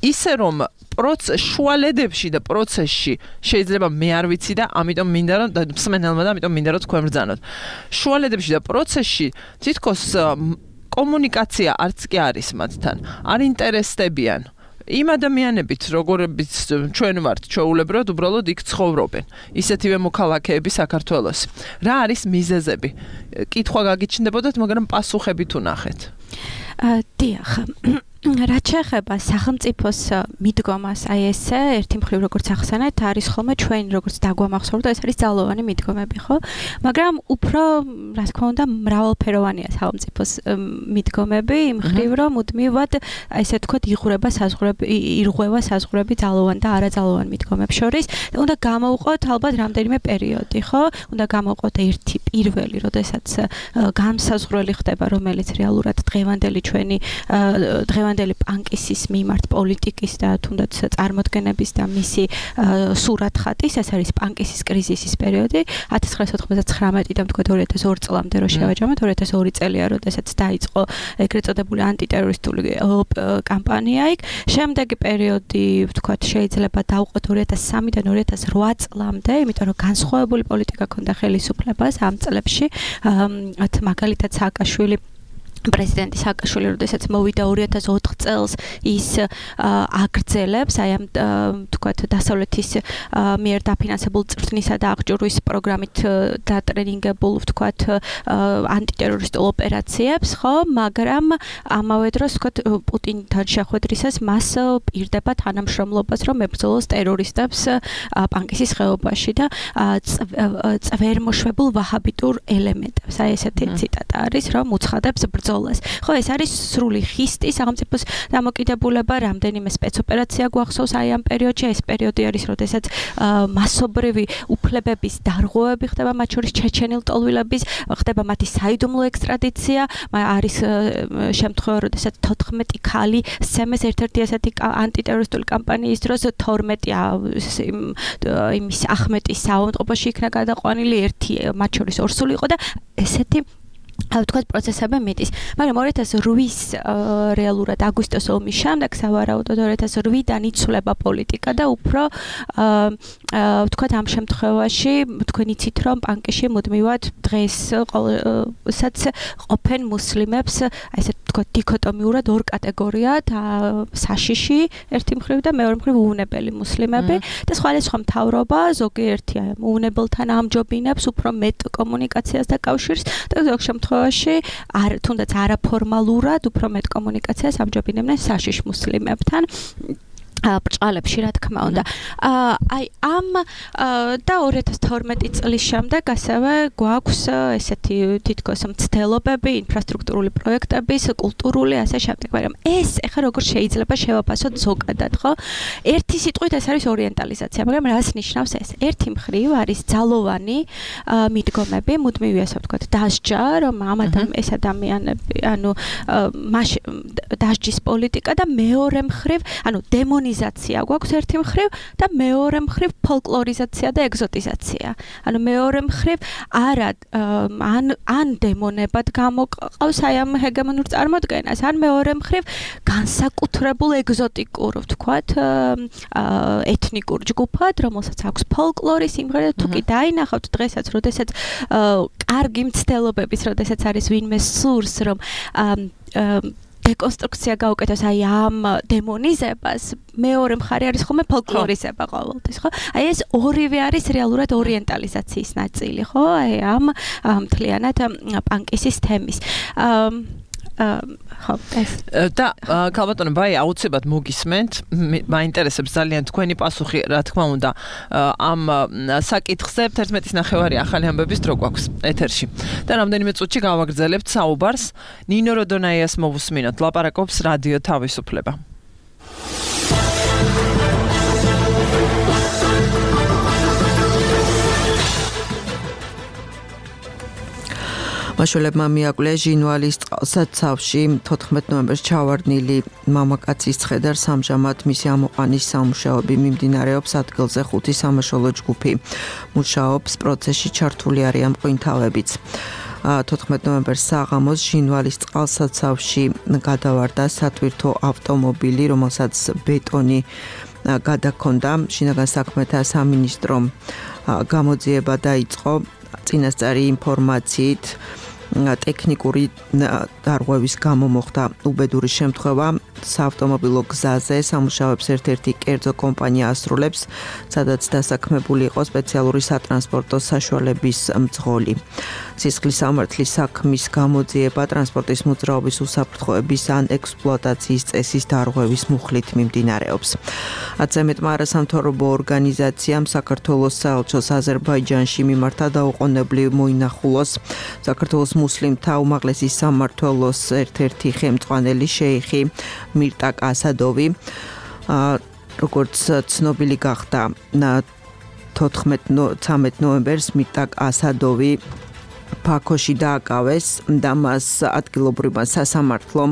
ისე რომ შუალედებში და პროცესში შეიძლება მე არ ვიცი და ამიტომ მინდა რომ მსმენელმა და ამიტომ მინდა რომ თქვენ ბრძანოთ. შუალედებში და პროცესში თითქოს კომუნიკაცია არც კი არის მათთან. არ ინტერესდებიან იმ ადამიანებით, როგორებიც ჩვენ ვართ ჩვეულებრივად უბრალოდ იქ ცხოვრობენ. ისეთივე მოქალაქეები საქართველოს. რა არის მიზეზები? კითხვა გაგიჩნდებოდათ, მაგრამ პასუხებით უნახეთ. დიახ. რაც შეეხება სახელმწიფოს მიდგომას, აი ესე ერთი მხრივ როგორც ახსენეთ, არის ხოლმე ჩვენ როგორც დაგვამახსოვრდა, ეს არის ძალოვანი მიდგომები, ხო? მაგრამ უფრო, რა თქმა უნდა, მრავალფეროვანია სახელმწიფოს მიდგომები, იმ მხრივ რომ მუდმივად, აი ესე თქვა, იღურება საზღვრები, ირღვევა საზღვრები ძალოვან და არაძალოვან მიდგომებს შორის. უნდა გამოვყოთ ალბათ რამდენიმე პერიოდი, ხო? უნდა გამოვყოთ ერთი პირველი, როდესაც განსაზღვრელი ხდება, რომელიც რეალურად დღევანდელი ჩვენი დღევანდელი პანკისის მიმართ პოლიტიკის და თუნდაც წარმოდგენების და მისი სურათხატის, ეს არის პანკისის კრიზისის პერიოდი ათას ცხრაასი ოცდათხმეტიდან თქვა ორი ათას ორი წლამდე რო შევაჯამოთ, ორი ათას ორი წელია, როდესაც დაიწყო ეგრეთ წოდებული ანტიტერორისტული კამპანია იქ. შემდეგი პერიოდი, ვთქვათ, შეიძლება დავყოთ ორი ათას სამიდან ორი ათას რვა წლამდე, იმიტომ რომ განსხვავებული პოლიტიკა ქონდა ხელისუფლებას ამ წლებში, მაგალითად სააკაშვილი პრეზიდენტი სააკაშვილი, როდესაც მოვიდა ორი ათას ოთხ წელს, ის აგრძელებს აი ამ თქვათ დასავლეთის მიერ დაფინანსებულ წვრთნისა და აღჭურვის პროგრამით დატრენინგებულ ვთქვათ ანტიტერორისტულ ოპერაციებს, ხო, მაგრამ ამავე დროს ვთქვათ პუტინთან შეხვედრისას მას პირდება თანამშრომლობას, რომ ებრძოლოს ტერორისტებს პანკისის ხეობაში და წვერმოშვებულ ვაჰაბიტურ ელემენტებს. აი ესეთი ციტატა არის, რომ უცხადებს ბრძოლას. ხო, ეს არის სრული ხისტი სახელმწიფოს დამოკიდებულება, რამდენიმე სპეცოპერაცია გვახსოვს აი ამ პერიოდში. ეს პერიოდი არის, როდესაც მასობრივი უფლებების დარღვევები ხდება, მათ შორის ჩეჩენილ ტოლვილების, ხდება მათი საიდუმლო ექსტრადიცია, არის შემთხვევა, როდესაც თოთხმეტი ქალი სცემეს ერთ-ერთი ასეთი ანტიტერორისტული კამპანიის დროს, თორმეტი იმის ახმეტის საავადმყოფოში იქნა გადაყვანილი, ერთი მათ შორის ორსული იყო და ესეთი ვთქვათ პროცესები მიდის. მაგრამ ორი ათას რვის რეალურად აგვისტოს ომის შემდეგ სავარაუდოდ ორი ათას რვიდან იცვლება პოლიტიკა და უფრო ვთქვათ ამ შემთხვევაში თქვენ იცით რომ პანკიში მუდმივად დღესაც ყოფენ მუსლიმებს, აი ესე ვთქვათ დიქოტომიურად ორ კატეგორიად, საშიში ერთი მხრივ და მეორე მხრივ უუნებელი მუსლიმები და სხვადასხვა მთავრობა ზოგიერთი უუნებელთან ამჯობინებს უფრო მეტ კომუნიკაციას და კავშირს და ზოგ შემთხვევაში არ თუნდაც არაფორმალურად უფრო მეტ კომუნიკაციას ამჯობინებდნენ საშიშ მუსლიმებთან. ბრჭყალებში რა თქმა უნდა. აი ამ და ორი ათას თორმეტი წლის შემდეგ ასევე გვაქვს ესეთი თითქოს მცდელობები, ინფრასტრუქტურული პროექტების, კულტურული ასე შემდეგ, მაგრამ ეს ახლა როგორ შეიძლება შევაფასოთ ზოგადად, ხო? ერთი სიტყვით ეს არის ორიენტალიზაცია, მაგრამ რას ნიშნავს ეს? ერთი მხრივ არის ძალოვანი მიდგომები, მუდმივი ასე ვთქვათ, დასჯა, რომ ამ ეს ადამიანები, ანუ დასჯის პოლიტიკა და მეორე მხრივ, ანუ დემონი იზაცია გვაქვს ერთი მხრივ და მეორე მხრივ ფოლკლორიზაცია და ეგზოტიზაცია. ანუ მეორე მხრივ არა ან ან დემონებად გამოყავს აი ამ ჰეგემონურ წარმოდგენას, ან მეორე მხრივ განსაკუთრებულ ეგზოტიკურ, ვთქვათ, ეთნიკურ ჯგუფად, რომელსაც აქვს ფოლკლორი, სიმღერა, თუ კი დაინახავთ დღესაც, როდესაც კარგი მცდელობების, როდესაც არის ვინმე სურს, რომ დეკონსტრუქცია გაუკეთოს აი ამ დემონიზებას, მეორე მხარე არის ხოლმე ფოლკლორიზება ყოველთვის, ხო? აი ეს ორივე არის რეალურად ორიენტალიზაციის ნაწილი, ხო? აი ამ მთლიანად პანკისის თემის. ხო, ეს. და ქალბატონო ბაი, აუცილებლად მოგისმენთ, მაინტერესებს ძალიან თქვენი პასუხი, რა თქმა უნდა, ამ საკითხზე თერთმეტის ნახევარი ახალი ამბების დრო გვაქვს ეთერში. და რამდენიმე წუთში გავაგრძელებთ საუბარს. ნინო როდონაიას მოვუსმინოთ, ლაპარაკობს რადიო თავისუფლება. მაშველებმა მიაკვლია ჟინვალის წყალსაცავში თოთხმეტ ნოემბერს ჩავარდნილი მამაკაცის ცხედარს, ამჟამად მისი ამოყვანის სამუშაოები მიმდინარეობს ადგილზე. ხუთი სამაშველო ჯგუფი მუშაობს, პროცესში ჩართული არიან მღვინთავებიც. თოთხმეტ ნოემბერს საღამოს ჟინვალის წყალსაცავში გადავარდა სათვირთო ავტომობილი, რომელსაც ბეტონი გადაქონდა. შინაგან საქმეთა სამინისტრომ გამოძიება დაიწყო წინასწარი ინფორმაციით. ტექნიკური დარღვევის გამო მოხდა უბედური შემთხვევა საავტომობილო გზაზე. სამუშაოებს ერთ-ერთი კერძო კომპანია ასრულებს, სადაც დასაქმებული იყო სპეციალური სატრანსპორტო საშუალების მძღოლი. სისხლის სამართლის საქმის გამოძიება ტრანსპორტის მოძრაობის უსაფრთხოების ან ექსპლუატაციის წესის დარღვევის მუხლით მიმდინარეობს. აცემეტმა არასამთავრობო ორგანიზაციამ საქართველოს საელჩოს აზერბაიჯანში მიმართა დაუყოვნებლივ მოინახულოს საქართველოს მუსლიმთა უმაღლესი სამმართველოს ერთ-ერთი ხელმძღვანელი შეიხი მირტაკ ასადოვი. როგორც ცნობილი გახდა თოთხმეტ ნოემბერს მირტაკ ასადოვი ბაქოში დააკავეს და მას ადგილობრივმა სასამართლომ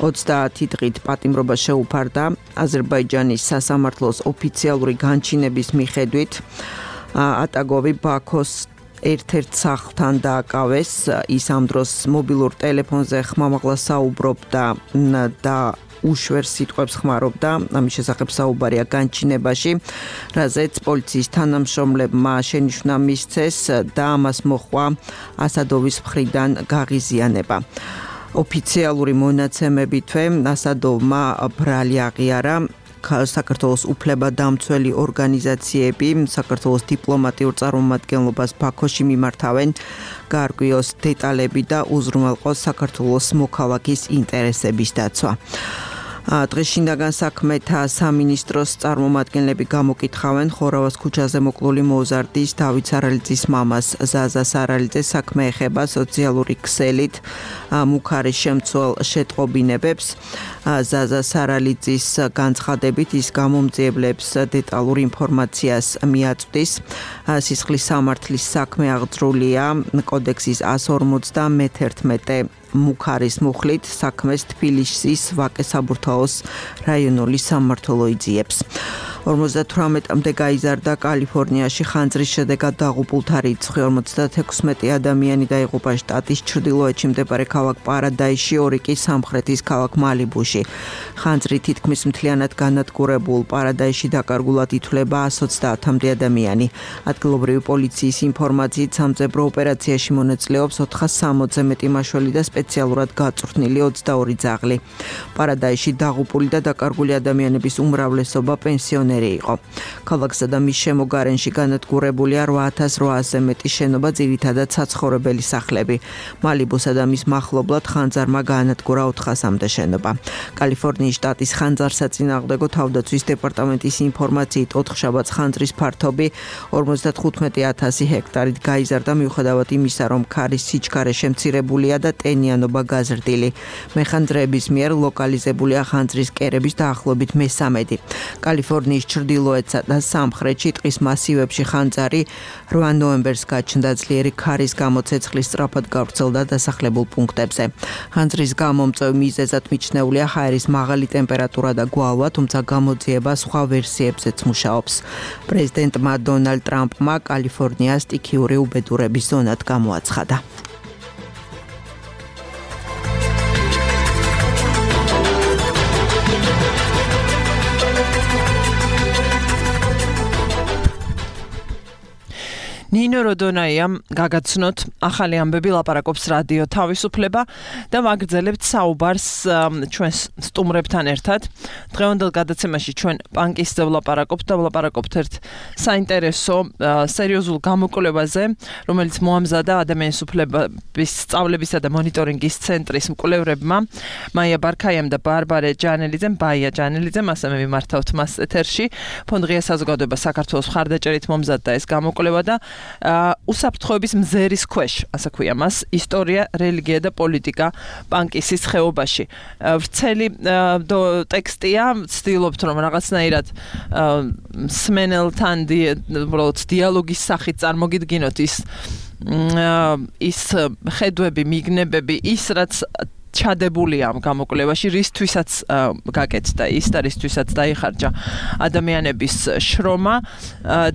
ოცდაათი დღით პატიმრობა შეუფარდა. აზერბაიჯანის სასამართლოს ოფიციალური განჩინების მიხედვით ატაგოვი ბაქოს ერთ-ერთ სახლთან დააკავეს. ის ამ დროს მობილურ ტელეფონზე ხმამაღლა საუბრობდა და უშვერს სიტყვებს ხმარობდა. ამის შესახებ საუბარია განჩინებაში, რაზეც პოლიციის თანამშრომლებმა შენიშვნა მისცეს და ამას მოჰყვა ასადოვის მხრიდან გაღიზიანება. ოფიციალური მონაცემებითვე ასადოვმა ბრალი აღიარა. საქართველოს უფლებადამცველი ორგანიზაციები საქართველოს დიპლომატიურ წარმომადგენლობას ბაქოში მიმართავენ, გაარკვიოს დეტალები და უზრუნველყოს საქართველოს მოქალაქის ინტერესების დაცვა. დღეს შინაგან საქმეთა სამინისტროს წარმომადგენლები გამოკითხავენ ხორავას ქუჩაზე მოკლული მოზარდის დავით სარალიძის მამას ზაზა სარალიძეს. საქმე ეხება სოციალური ქსელით მუქარის შემცველ შეტყობინებებს. ზაზა სარალიძის განცხადებით ის გამომძიებლებს დეტალურ ინფორმაციას მიაწვდის. სისხლის სამართლის საქმე აღძრულია კოდექსის ასი ორმოცდამეთერთმეტე მუქარის მუხლით. საქმეს თბილისის ვაკე-საბურთაოს რაიონული სამმართველო იძიებს. ორმოცდათვრამეტამდე გაიზარდა კალიფორნიაში ხანძრის შედეგად დაღუპულთა რიცხვი. ორმოცდათექვსმეტი ადამიანი დაიღუპა შტატის ჩრდილოეთში მდებარე ქალაქ პარადაისში, ორი კი სამხრეთის ქალაქ მალიბუში. ხანძრი თითქმის მთლიანად განადგურებულ პარადაისში დაკარგულად ითვლება εκατს ოცდაათამდე ადამიანი. ადგილობრივი პოლიციის ინფორმაციით სამძებრო ოპერაციაში მონაწილეობს ოთხას სამოცზე მეტი მაშველი და სპეციალურად გაწვრთნილი ოცდაორი ძაღლი. პარადაისში დაღუპული და დაკარგული ადამიანების უმრავლესობა პენსიონერია. ფუნქციონერი იყო. ქალაქსა და მის შემოგარენში განადგურებულია რვა ათას რვაასზე მეტი შენობა, ძირითადად საცხოვრებელი სახლები. მალიბუსა და მის მახლობლად ხანძარმა გაანადგურა ოთხასამდე შენობა. კალიფორნიის შტატის ხანძარსაწინააღმდეგო თავდაცვის დეპარტამენტის ინფორმაციით ოთხშაბათს ხანძრის ფართობი ორმოცდათხუთმეტი ათასი ჰექტარით გაიზარდა, მიუხედავად იმისა, რომ ქარის სიჩქარე შემცირებულია და ტენიანობა გაზრდილი. მეხანძრეების მიერ ლოკალიზებულია ხანძრის კერების დაახლოებით მესამედი. კალიფორნიის ჩრდილოეთსა და სამხრეთში ტყის მასივებში ხანძარი რვა ნოემბერს გაჩნდა, ძლიერი ქარის გამო ცეცხლი სწრაფად გავრცელდა დასახლებულ პუნქტებზე. ხანძრის გამომწვევ მიზეზად მიჩნეულია ჰაერის მაღალი ტემპერატურა და გვალვა, თუმცა გამოძიება სხვა ვერსიებზეც მუშაობს. პრეზიდენტმა დონალდ ტრამპმა კალიფორნია სტიქიური უბედურების ზონად გამოაცხადა. ნინო როდონაიამ გაგაცნოთ ახალი ამბები, ლაპარაკობს რადიო თავისუფლება და ვაგრძელებთ საუბარს ჩვენს სტუმრებთან ერთად. დღევანდელ გადაცემაში ჩვენ პანკისტზე ვლაპარაკობთ და ვლაპარაკობთ ერთ საინტერესო სერიოზულ გამოკვლევაზე, რომელიც მოამზადა ადამიანის უფლებების სწავლებისა და მონიტორინგის ცენტრის მკვლევრებმა მაია ბარქაიამ და ბარბარე ჯანელიძემ, ბაია ჯანელიძემ, ასე მე მიმართავთ მას ეთერში. ფონდ ღია საზოგადოება საქართველოს მხარდაჭერით მომზადდა ეს გამოკვლევა და უსაფრთხოების მზერის ქვეშ, ასე ქვია მას, ისტორია, რელიგია და პოლიტიკა პანკისის ხეობაში. ვრცელი ტექსტია, ვცდილობთ რომ რაღაცნაირად მსმენელთან დიალოგის სახით წარმოგიდგინოთ ის ის ხედვები, მიგნებები, ის რაც ჩადებულია ამ გამოკვლევაში, რისთვისაც გაკეთდა ის და რისთვისაც დაიხარჯა ადამიანების შრომა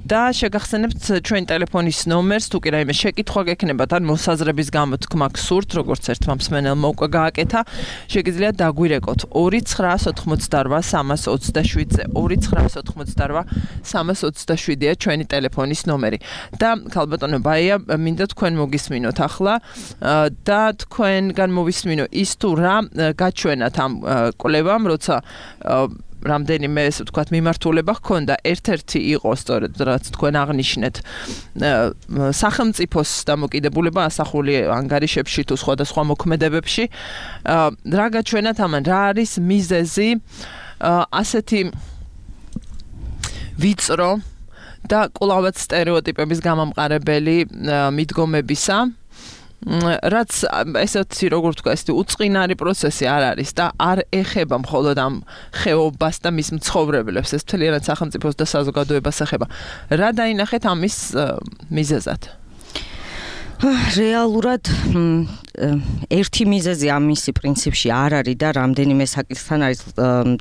და შეგახსენებთ ჩვენ ტელეფონის ნომერს, თუ კი რაიმე შეკითხვა გექნებათ ან მოსაზრების გამოთქმა გსურთ, როგორც ერთმა მსმენელმა უკვე გააკეთა, შეგიძლიათ დაგვირეკოთ ორი ცხრა ოთხმოცდარვა სამას ოცდაშვიდზე. ორი ცხრა ოთხმოცდარვა სამას ოცდაშვიდია ჩვენი ტელეფონის ნომერი. და ქალბატონო ბაია, მინდა თქვენ მოგისმინოთ ახლა და თქვენგან მოვისმინო ის თუ რა გაჩვენათ ამ კვლევამ, როცა რამდენიმე ესე ვთქვათ მიმართულება ჰქონდა. ერთ-ერთი იყო სწორედ რაც თქვენ აღნიშნეთ სახელმწიფოს დამოკიდებულება ასახული ანგარიშებში თუ სხვადასხვა მოქმედებებში. რა გაჩვენათ ამან, რა არის მიზეზი ასეთი ვიწრო და კვლავაც სტერეოტიპების გამამყარებელი მიდგომებისა, რაც ესეთი როგორ ვთქვა, ესეთი უწყინარი პროცესი არ არის და არ ეხება მხოლოდ ამ ხეობას და მის მცხოვრებლებს, ეს მთლიანად სახელმწიფოს და საზოგადოებას ეხება. რა დაინახეთ ამის მიზეზად? რეალურად ერთი მიზეზი ამისი პრინციპში არ არის და რამდენიმე საკითხთან არის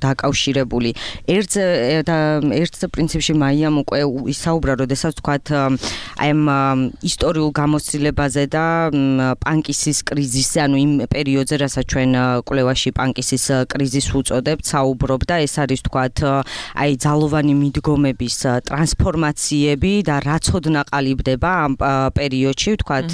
დაკავშირებული. ერთზე და ერთზე პრინციპში მაიამ უკვე ისაუბრა, როდესაც თქვათ აი ამ ისტორიულ გამოცდილებაზე და პანკისის კრიზისზე, ანუ იმ პერიოდზე, რასაც ჩვენ კვლევაში პანკისის კრიზისს უწოდებთ, საუბრობდა. ეს არის თქვათ აი ძალოვანი მიდგომების ტრანსფორმაციები და რაც ოდნა ყალიბდება ამ პერიოდში, თქვათ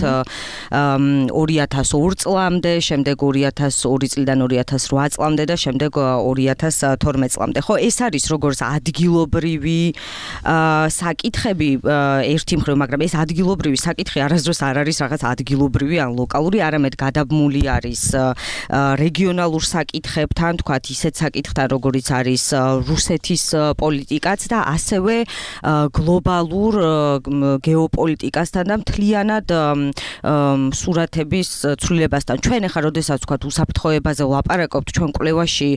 ორი ათას ორ წლამდე, შემდეგ ორი ათას ორი წლიდან ორი ათას რვა წლამდე და შემდეგ ორი ათას თორმეტ წლამდე. ხო, ეს არის როგორც ადგილობრივი საკითხები ერთი მხრივ, მაგრამ ეს ადგილობრივი საკითხი არასდროს არ არის რაღაც ადგილობრივი ან ლოკალური, არამედ გადაბმული არის რეგიონალურ საკითხებთან, თქვათ ისეთ საკითხთან, როგორიც არის რუსეთის პოლიტიკაც და ასევე გლობალურ გეოპოლიტიკასთან და მთლიანად სურათების ცვლილებასთან. ჩვენ ახლა როდესაც ვთქვათ უსაფრთხოებაზე ვლაპარაკობთ, ჩვენ კვლევაში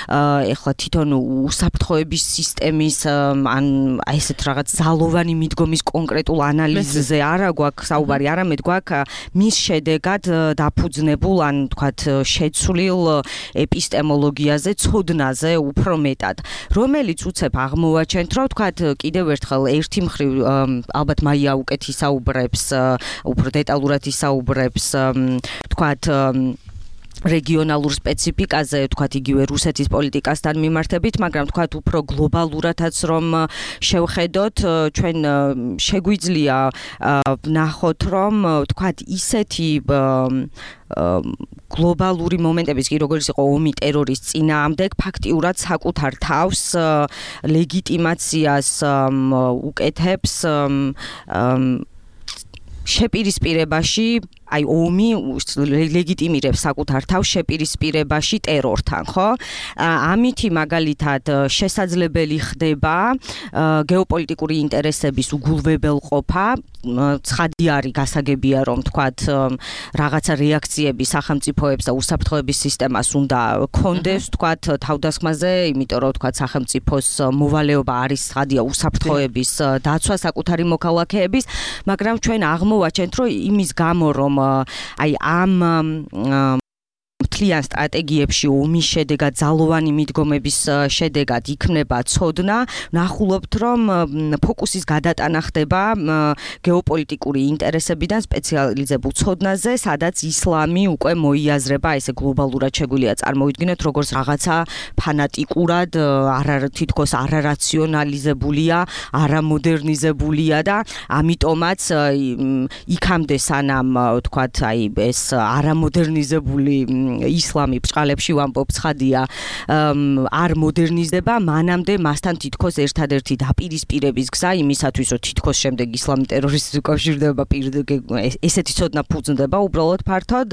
ახლა თვითონ უსაფრთხოების სისტემის ან აი ესეთ რაღაც ძალოვანი მიდგომის კონკრეტულ ანალიზზე არა გვაქვს საუბარი, არამედ გვაქვს მის შედეგად დაფუძნებულ ან ვთქვათ შეცვლილ ეპისტემოლოგიაზე, ცოდნაზე უფრო მეტად, რომელიც უცებ აღმოვაჩენთ, რომ ვთქვათ კიდევ ერთხელ ერთი მხრივ ალბათ მაია უკეთ ისაუბრებს, უფრო დეტალურად ისაუბრებს, თქვათ რეგიონალურ სპეციფიკაზე, თქვათ იგივე რუსეთის პოლიტიკასთან მიმართებით, მაგრამ თქვათ უფრო გლობალურადაც რომ შევხედოთ, ჩვენ შეგვიძლია ვნახოთ, რომ თქვათ ისეთი გლობალური მომენტების, კი როგორც იყო ომი ტერორის წინააღმდეგ, ფაქტიურად საკუთარ თავს ლეგიტიმაციას უკეთებს შეპირისპირებაში, აი ომი ლეგიტიმირებს საკუთარ თავს შეპირისპირებაში ტერორთან, ხო? ამითი მაგალითად შესაძლებელი ხდება გეოპოლიტიკური ინტერესების უგულვებელყოფა, ცხადი არის გასაგებია, რომ თქვათ რაღაცა რეაქციები სახელმწიფოებს და უსაფრთხოების სისტემას უნდა კონდეს, თქვათ თავდასხმაზე, იმიტომ რომ თქვათ სახელმწიფოს მოვალეობა არის ცხადია უსაფრთხოების დაცვა საკუთარი მოქალაქეების, მაგრამ ჩვენ აღმოვაჩენთ, რომ იმის გამო რომ აი ამ მთლიან სტრატეგიებში ომის შედეგად ძალოვანი მიდგომების შედეგად იქნება ცოდნა, ვნახულობთ, რომ ფოკუსის გადატანა ხდება გეოპოლიტიკური ინტერესებიდან სპეციალიზებულ ცოდნაზე, სადაც ისლამი უკვე მოიაზრება, ესე გლობალურად შეგვიძლია წარმოვიდგინოთ, როგორც რაღაცა ფანატიკურად, არა თითქოს არარაციონალიზებულია, არამოდერნიზებულია და ამიტომაც იქამდე სანამ თქვათ აი ეს არამოდერნიზებული ისლამი ბჭყალებში ვამბობ ცხადია არ მოდერნიზდება, მანამდე მასთან თითქოს ერთადერთი დაპირისპირების გზა იმისათვის, რომ თითქოს შემდეგ ისლამი ტერორისტს უკავშირდება, ესეთი ცოდნა ფუძნდება უბრალოდ ფართოდ,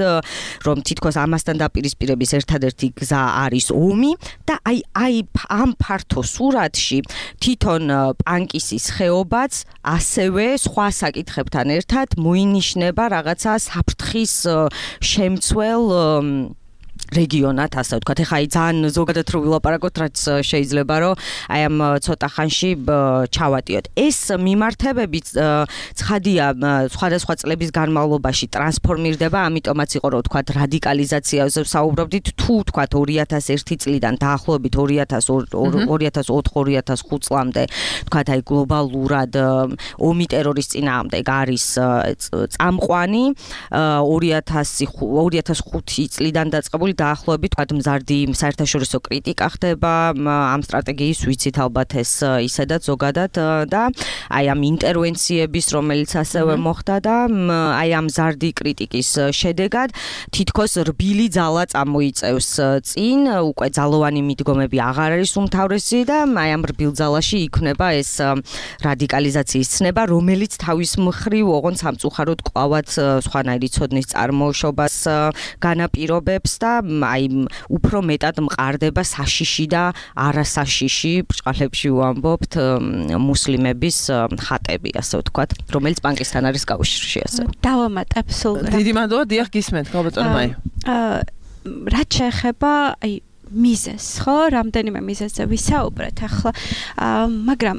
რომ თითქოს ამასთან დაპირისპირების ერთადერთი გზა არის ომი და აი აი ამ ფართო სურათში თვითონ პანკისის ხეობაც ასევე სხვა საკითხებთან ერთად მოინიშნება რაღაცა საფრთხის შემცველ რეგიონად, ასე ვთქვათ, ეხლა აი ძალიან ზოგადად რო ვილაპარაკოთ, რაც შეიძლება რომ აი ამ ცოტა ხანში ჩავატიოთ. ეს მიმართებები ცხადია სხვადასხვა წლების განმავლობაში ტრანსფორმირდება, ამიტომაც იყო რომ ვთქვათ რადიკალიზაციაზე ვსაუბრობდით, თუ ვთქვათ ორი ათას ერთი წლიდან დაახლოებით ორი ათას ოთხ ორი ათას ხუთ წლამდე ვთქვათ აი გლობალურად ომი ტერორის წინააღმდეგ არის წამყვანი, ორი ათას ხუთი წლიდან დაწყებული დაახლოებით თქვათ მზარდი საერთაშორისო კრიტიკა ხდება ამ სტრატეგიის, ვიცით ალბათ ეს ისედაც ზოგადად და აი ამ ინტერვენციების, რომელიც ასევე მოხდა და აი ამ მზარდი კრიტიკის შედეგად თითქოს რბილი ძალა წამოიწევს წინ, უკვე ძალოვანი მიდგომები აღარ არის უმთავრესი და აი ამ რბილ ძალაში იქმნება ეს რადიკალიზაციის ცნება, რომელიც თავის მხრივ ოღონდ სამწუხაროდ კვლავაც სხვანაირი ცოდნის წარმოშობას განაპირობებს და აი უფრო მეტად მყარდება საშიში და არასაშიში ბჭყალებში ვამბობთ მუსლიმების ხატები, ასე ვთქვათ, რომელიც პანკისთან არის კავშირში, ასე. დავამატებ სულ. დიდი მადლობა, დიახ, გისმენთ, გალბატონო მაი. აა რაც შეეხება აი მიზეს, ხო, რამდენიმე მიზეზზე ვისაუბრეთ ახლა, მაგრამ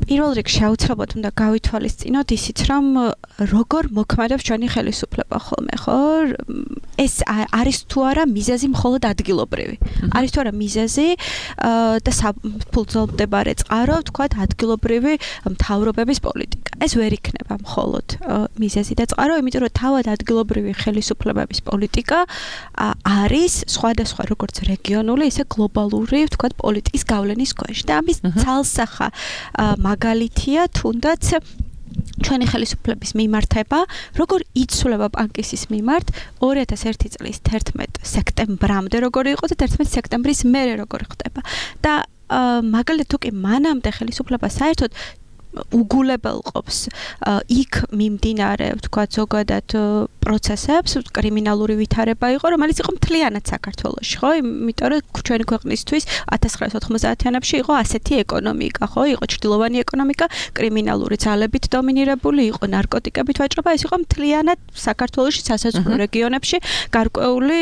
პირველ რიგში აუცილებლად უნდა გავითვალისწინოთ ისიც, რომ როგორ მოქმედებს ჩვენი ხელისუფლება ხოლმე, ხო? ეს არის თუ არა მიზეზი მხოლოდ ადგილობრივი. არის თუ არა მიზეზი და საფუძვლდებარე წყარო, ვთქვათ, ადგილობრივი მთავრობების პოლიტიკა. ეს ვერ იქნება მხოლოდ მიზეზი და წყარო, იმიტომ რომ თავად ადგილობრივი ხელისუფლებების პოლიტიკა არის სხვადასხვა როგორც რეგიონული, ისე გლობალური, ვთქვათ, პოლიტიკის გავლენის ქვეშ და ამის ცალსახა მაგალითია თუნდაც ჩვენი ხელისუფლების მიმართება, როგორ იცვლება პანკისის მიმართ ორი ათას ერთი წლის თერთმეტ სექტემბრამდე როგორი იყო და თერთმეტ სექტემბრის მერე როგორ ხდება. და მაგალითად თუ კი მანამდე ხელისუფლება საერთოდ უგულებელყოფს იქ მიმდინარე, ვთქვათ, ზოგადად პროცესებს, კრიმინალური ვითარება იყო, რომელიც იყო მთლიანად საქართველოში, ხო? იმიტომ რომ ჩვენი ქვეყნისთვის ათას ცხრაასი ოთხმოცდაათიანებში იყო ასეთი ეკონომიკა, ხო? იყო ჩრდილოვანი ეკონომიკა, კრიმინალური ძალებით დომინირებული, იყო ნარკოტიკებით ვაჭრობა, ეს იყო მთლიანად საქართველოში სასაზღვრო რეგიონებში გარკვეული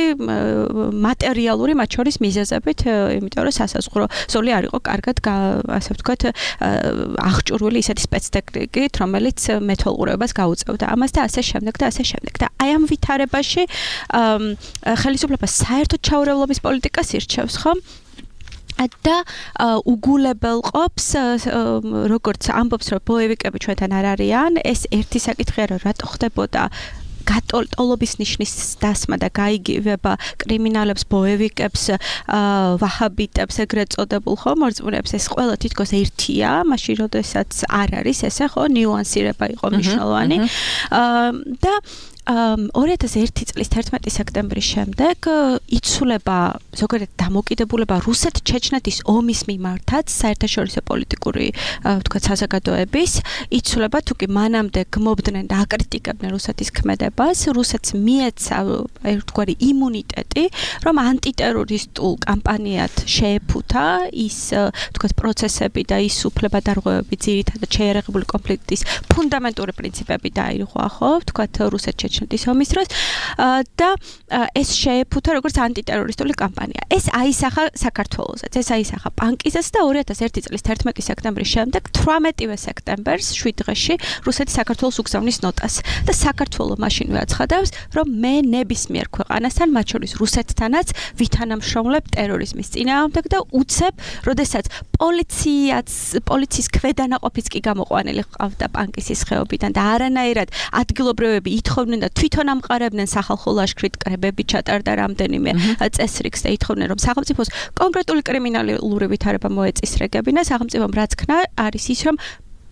მატერიალური, მათ შორის მიზეზებით, იმიტომ რომ სასაზღვრო ზოლი არ იყო კარგად, ასე ვთქვათ, აღჭურვილი ისეთი სპეცტექნიკით, რომელიც მეთვალყურეობას გაუწევდა ამას და ასე შემდეგ და ასე შემდეგ. და აი ამ ვითარებაში ხელისუფლება საერთოდ ჩაურევლობის პოლიტიკას ირჩევს, ხო? და უგულებელყოფს, როგორც ამბობს, რომ ბოევიკები ჩვენთან არ არიან, ეს ერთი საკითხია, რომ რატო ხდებოდა გატოლობის ნიშნის დასმა და გაიგივება კრიმინალებს, ბოევიკებს, ვაჰაბიტებს, ეგრეთ წოდებულ ხო მორწმუნეებს, ეს ყველა თითქოს ერთია, მაშინ როდესაც არ არის ესე ხო ნიუანსირება იყო მნიშვნელოვანი. და ორი ათას ერთი წლის თერთმეტი სექტემბრის შემდეგ იცვლება ზოგადად დამოკიდებულება რუსეთ-ჩეჩნეთის ომის მიმართაც საერთაშორისო პოლიტიკური ვთქვათ საზოგადოების იცვლება თუ კი მანამდე გმობდნენ და აკრიტიკებდნენ რუსეთის ქმედებას რუსეთს მიეცა ერთგვარი იმუნიტეტი რომ ანტიტერორისტულ კამპანიად შეეფუთა ის ვთქვათ პროცესები და ის უფლებადარღვევები ძირითადად შეიარაღებული კონფლიქტის ფუნდამენტური პრინციპები დაირღვა ხო ვთქვათ რუსეთ-ჩეჩნეთის ომის დროს და ეს შეეფუთა როგორც ანტიტერორისტული კამპანია. ეს აისახა საქართველოსაც, ეს აისახა პანკიზეც და ორი ათას ერთი წლის თერთმეტი სექტემბრის შემდეგ თვრამეტივე სექტემბერს შვიდ დღეში რუსეთი საქართველოს უგზავნის ნოტას და საქართველო მაშინვე აცხადებს, რომ მე ნებისმიერ ქვეყანასთან, მათ შორის რუსეთთანაც ვითანამშრომლებ ტერორიზმის წინააღმდეგ და უცებ, როდესაც პოლიციაც პოლიციის ქვედანაყოფიც კი გამოყვანილი ჰყავდა პანკისის ხეობიდან და არანაირად ადგილობრივები ითხოვდნენ და თვითონ ამყარებდნენ სახალხო ლაშქრით კრებები ჩატარდა რამდენიმე წესრიგს და ითხოვდნენ რომ სახელმწიფოს კონკრეტული კრიმინალური ვითარება მოეწესრიგებინა სახელმწიფომ რაც ქნა არის ის რომ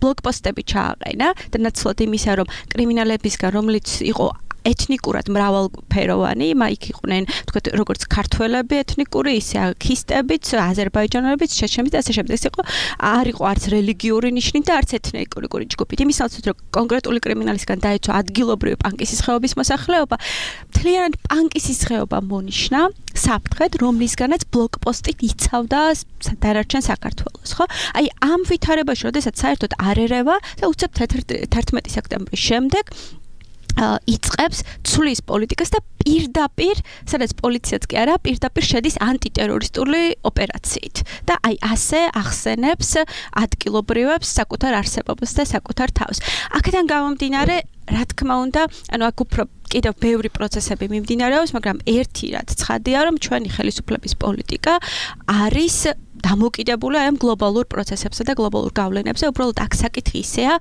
ბლოკპოსტები ჩააყენა და ნაცვლად იმისა რომ კრიმინალებისგან რომელიც იყო ეთნიკურად მრავალფეროვანი, იქ იყვნენ, თქვათ, როგორც ქართველები ეთნიკური, ისე ქისტებიც, აზერბაიჯანელებიც, ჩეჩნებიც და ასე შემდეგ. ეს იყო არ იყო არც რელიგიური ნიშნით და არც ეთნიკური ჯგუფით. იმის ნაცვლად, რომ კონკრეტული კრიმინალისგან დაეცვა ადგილობრივი პანკისის ხეობის მოსახლეობა, მთლიანად პანკისის ხეობა მონიშნა საფრთხედ, რომლისგანაც ბლოკპოსტით იცავდა დანარჩენ საქართველოს, ხო? აი ამ ვითარებაში, როდესაც საერთოდ არ ერევა და უცებ თერთმეტი სექტემბრის შემდეგ იწყებს ცვლის პოლიტიკას და პირდაპირ, სადაც პოლიციაც კი არა, პირდაპირ შედის ანტიტერორისტული ოპერაციით. და აი ასე ახსენებს ადგილობრივებს საკუთარ არსებობას და საკუთარ თავს. აქედან გამომდინარე, რა თქმა უნდა, ანუ აქ უფრო კიდევ ბევრი პროცესები მიმდინარეობს, მაგრამ ერთი რაც ცხადია, რომ ჩვენი ხელისუფლების პოლიტიკა არის დამოკიდებული ამ გლობალურ პროცესებსა და გლობალურ გავლენებზე, უბრალოდ აქ საკითხი ისეა,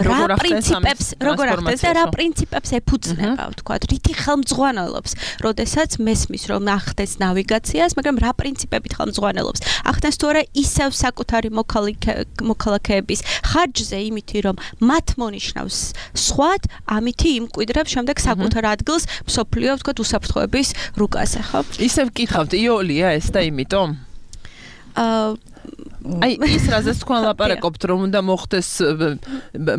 რა პრინციპებს, როგორ ახდენს და რა პრინციპებს ეფუძნება, ვთქვათ, რითი ხელმძღვანელობს, როდესაც მესმის რომ ახდენს ნავიგაციას, მაგრამ რა პრინციპებით ხელმძღვანელობს. ახდენს თუ არა ისევ საკუთარი მოქალაქეების ხარჯზე, იმითი რომ მათ მონიშნავს სხვად, ამითი იმკვიდრებს შემდეგ საკუთარ ადგილს მსოფლიო, ვთქვათ, უსაფრთხოების რუკაზე, ხო? ისევ გითხავთ, იოლია ეს და იმიტომ აი ის რაზეც თქვენ ლაპარაკობთ რომ უნდა მოხდეს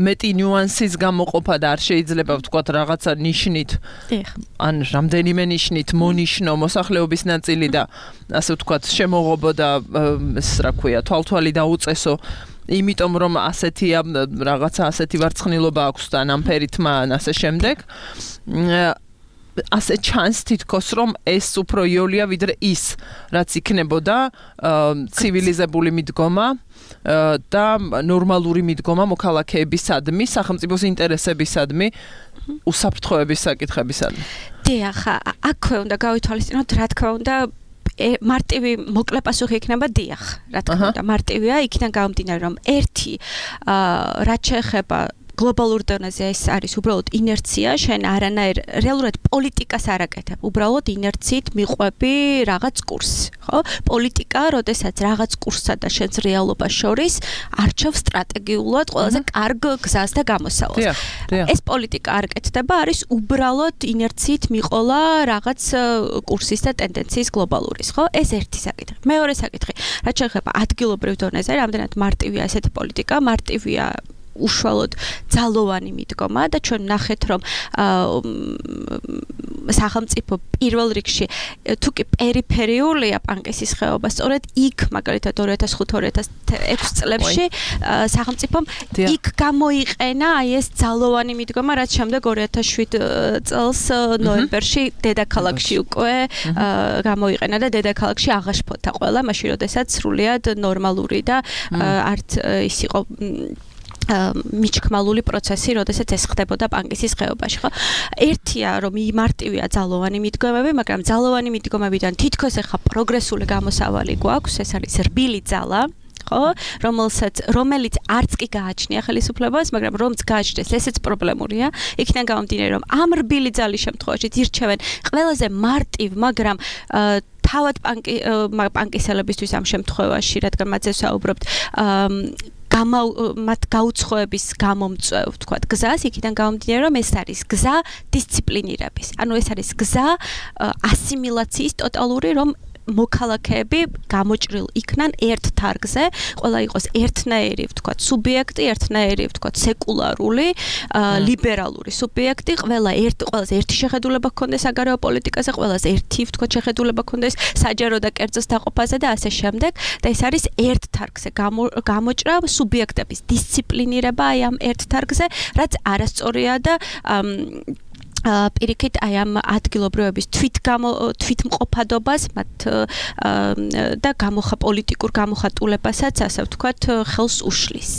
მეტი ნიუანსის გამოყოფა და არ შეიძლება ვთქვათ რაღაცა ნიშნით ან რამდენიმე ნიშნით მონიშნო მოსახლეობის ნაწილი და ასე ვთქვათ შემოღობო და ეს რა ქვია თვალთვალი დაუწესო იმიტომ რომ ასეთია რაღაცა ასეთი ვარცხნილობა აქვს და ნამფერითმა ან ასე შემდეგ ასე ჩანს თითქოს რომ ეს უფრო იოლია ვიდრე ის რაც იქნებოდა ცივილიზებული მიდგომა და ნორმალური მიდგომა მოქალაქეებისადმი სახელმწიფოს ინტერესებისადმი უსაფრთხოების საკითხებისადმი. დიახ, აქვე უნდა გავითვალისწინოთ რა თქმა უნდა მარტივი მოკლე პასუხი იქნება დიახ, რა თქმა უნდა მარტივია იქიდან გამომდინარე რომ ერთი რაც შეეხება გლობალურ დონეზე ეს არის უბრალოდ ინერცია, შენ არანაირ რეალურად პოლიტიკას არ აკეთებ, უბრალოდ ინერციით მიყვები რაღაც კურსს, ხო? პოლიტიკა, როდესაც რაღაც კურსსა და შენს რეალობას შორის არჩევს სტრატეგიულად ყველაზე კარგ გზას და გამოსავალს. ეს პოლიტიკა არ კეთდება, არის უბრალოდ ინერციით მიყოლა რაღაც კურსის და ტენდენციის გლობალურის, ხო? ეს ერთი საკითხი. მეორე საკითხი, რაც შეეხება ადგილობრივ დონეზე, რამდენად მარტივია ესეთი პოლიტიკა, მარტივია უშუალოდ ძალოვანი მიდგომა და ჩვენ ნახეთ რომ სახელმწიფო პირველ რიგში თუ კი პერიფერიულია პანკისის ხეობა სწორედ იქ მაგალითად ორი ათას ხუთი ორი ათას ექვსი წლებში სახელმწიფომ იქ გამოიყენა აი ეს ძალოვანი მიდგომა რაც შემდეგ ორი ათას შვიდ წელს ნოემბერში დედაქალაქში უკვე გამოიყენა და დედაქალაქში აღაშფოთა ყველა მაშინ როდესაც სრულიად ნორმალური და არც ის იყო მიჩქმალული პროცესი, როდესაც ეს ხდებოდა პანკისის ხეობაში, ხო? ერთია, რომ მარტივია ძალოვანი მიდგომები, მაგრამ ძალოვანი მიდგომებიდან თითქოს ახლა პროგრესული გამოსავალი გვაქვს, ეს არის რბილი ძალა, ხო, რომელსაც რომელიც არც კი გააჩნია ხელისუფლებას, მაგრამ რომც გააჩნდეს, ესეც პრობლემურია. იქიდან გამომდინარე, რომ ამ რბილი ძალის შემთხვევაში ირჩევენ ყველაზე მარტივ, მაგრამ თავად პანკი პანკისელებისთვის ამ შემთხვევაში, რადგან მათზე საუბრობთ, გამა მათ გაუცხოების გამომწვევ, თქვათ, გზას, იქიდან გამომდინარე, რომ ეს არის გზა დისციპლინირების. ანუ ეს არის გზა ასიმილაციის ტოტალური, რომ მოქალაქეები გამოჭრილ იქნან ერთ თარგზე, ყველა იყოს ერთნაირი, ვთქვათ, სუბიექტი, ერთნაირი, ვთქვათ, სეკულარული, ლიბერალური სუბიექტი, ყველა ერთ ყველაზე ერთი შეხედულება ჰქონდეს საგარეო პოლიტიკაზე, ყველაზე ერთი, ვთქვათ, შეხედულება ჰქონდეს საჯარო და კერძოს დაყოფაზე და ასე შემდეგ. და ეს არის ერთ თარგზე გამოჭრა, სუბიექტების დისციპლინირება აი ამ ერთ თარგზე, რაც არასწორია და პირიქით აი ამ ადგილობრივების თვითგამო თვითმყოფადობას მათ და გამოხა პოლიტიკურ გამოხატულებასაც ასე ვთქვათ ხელს უშლის.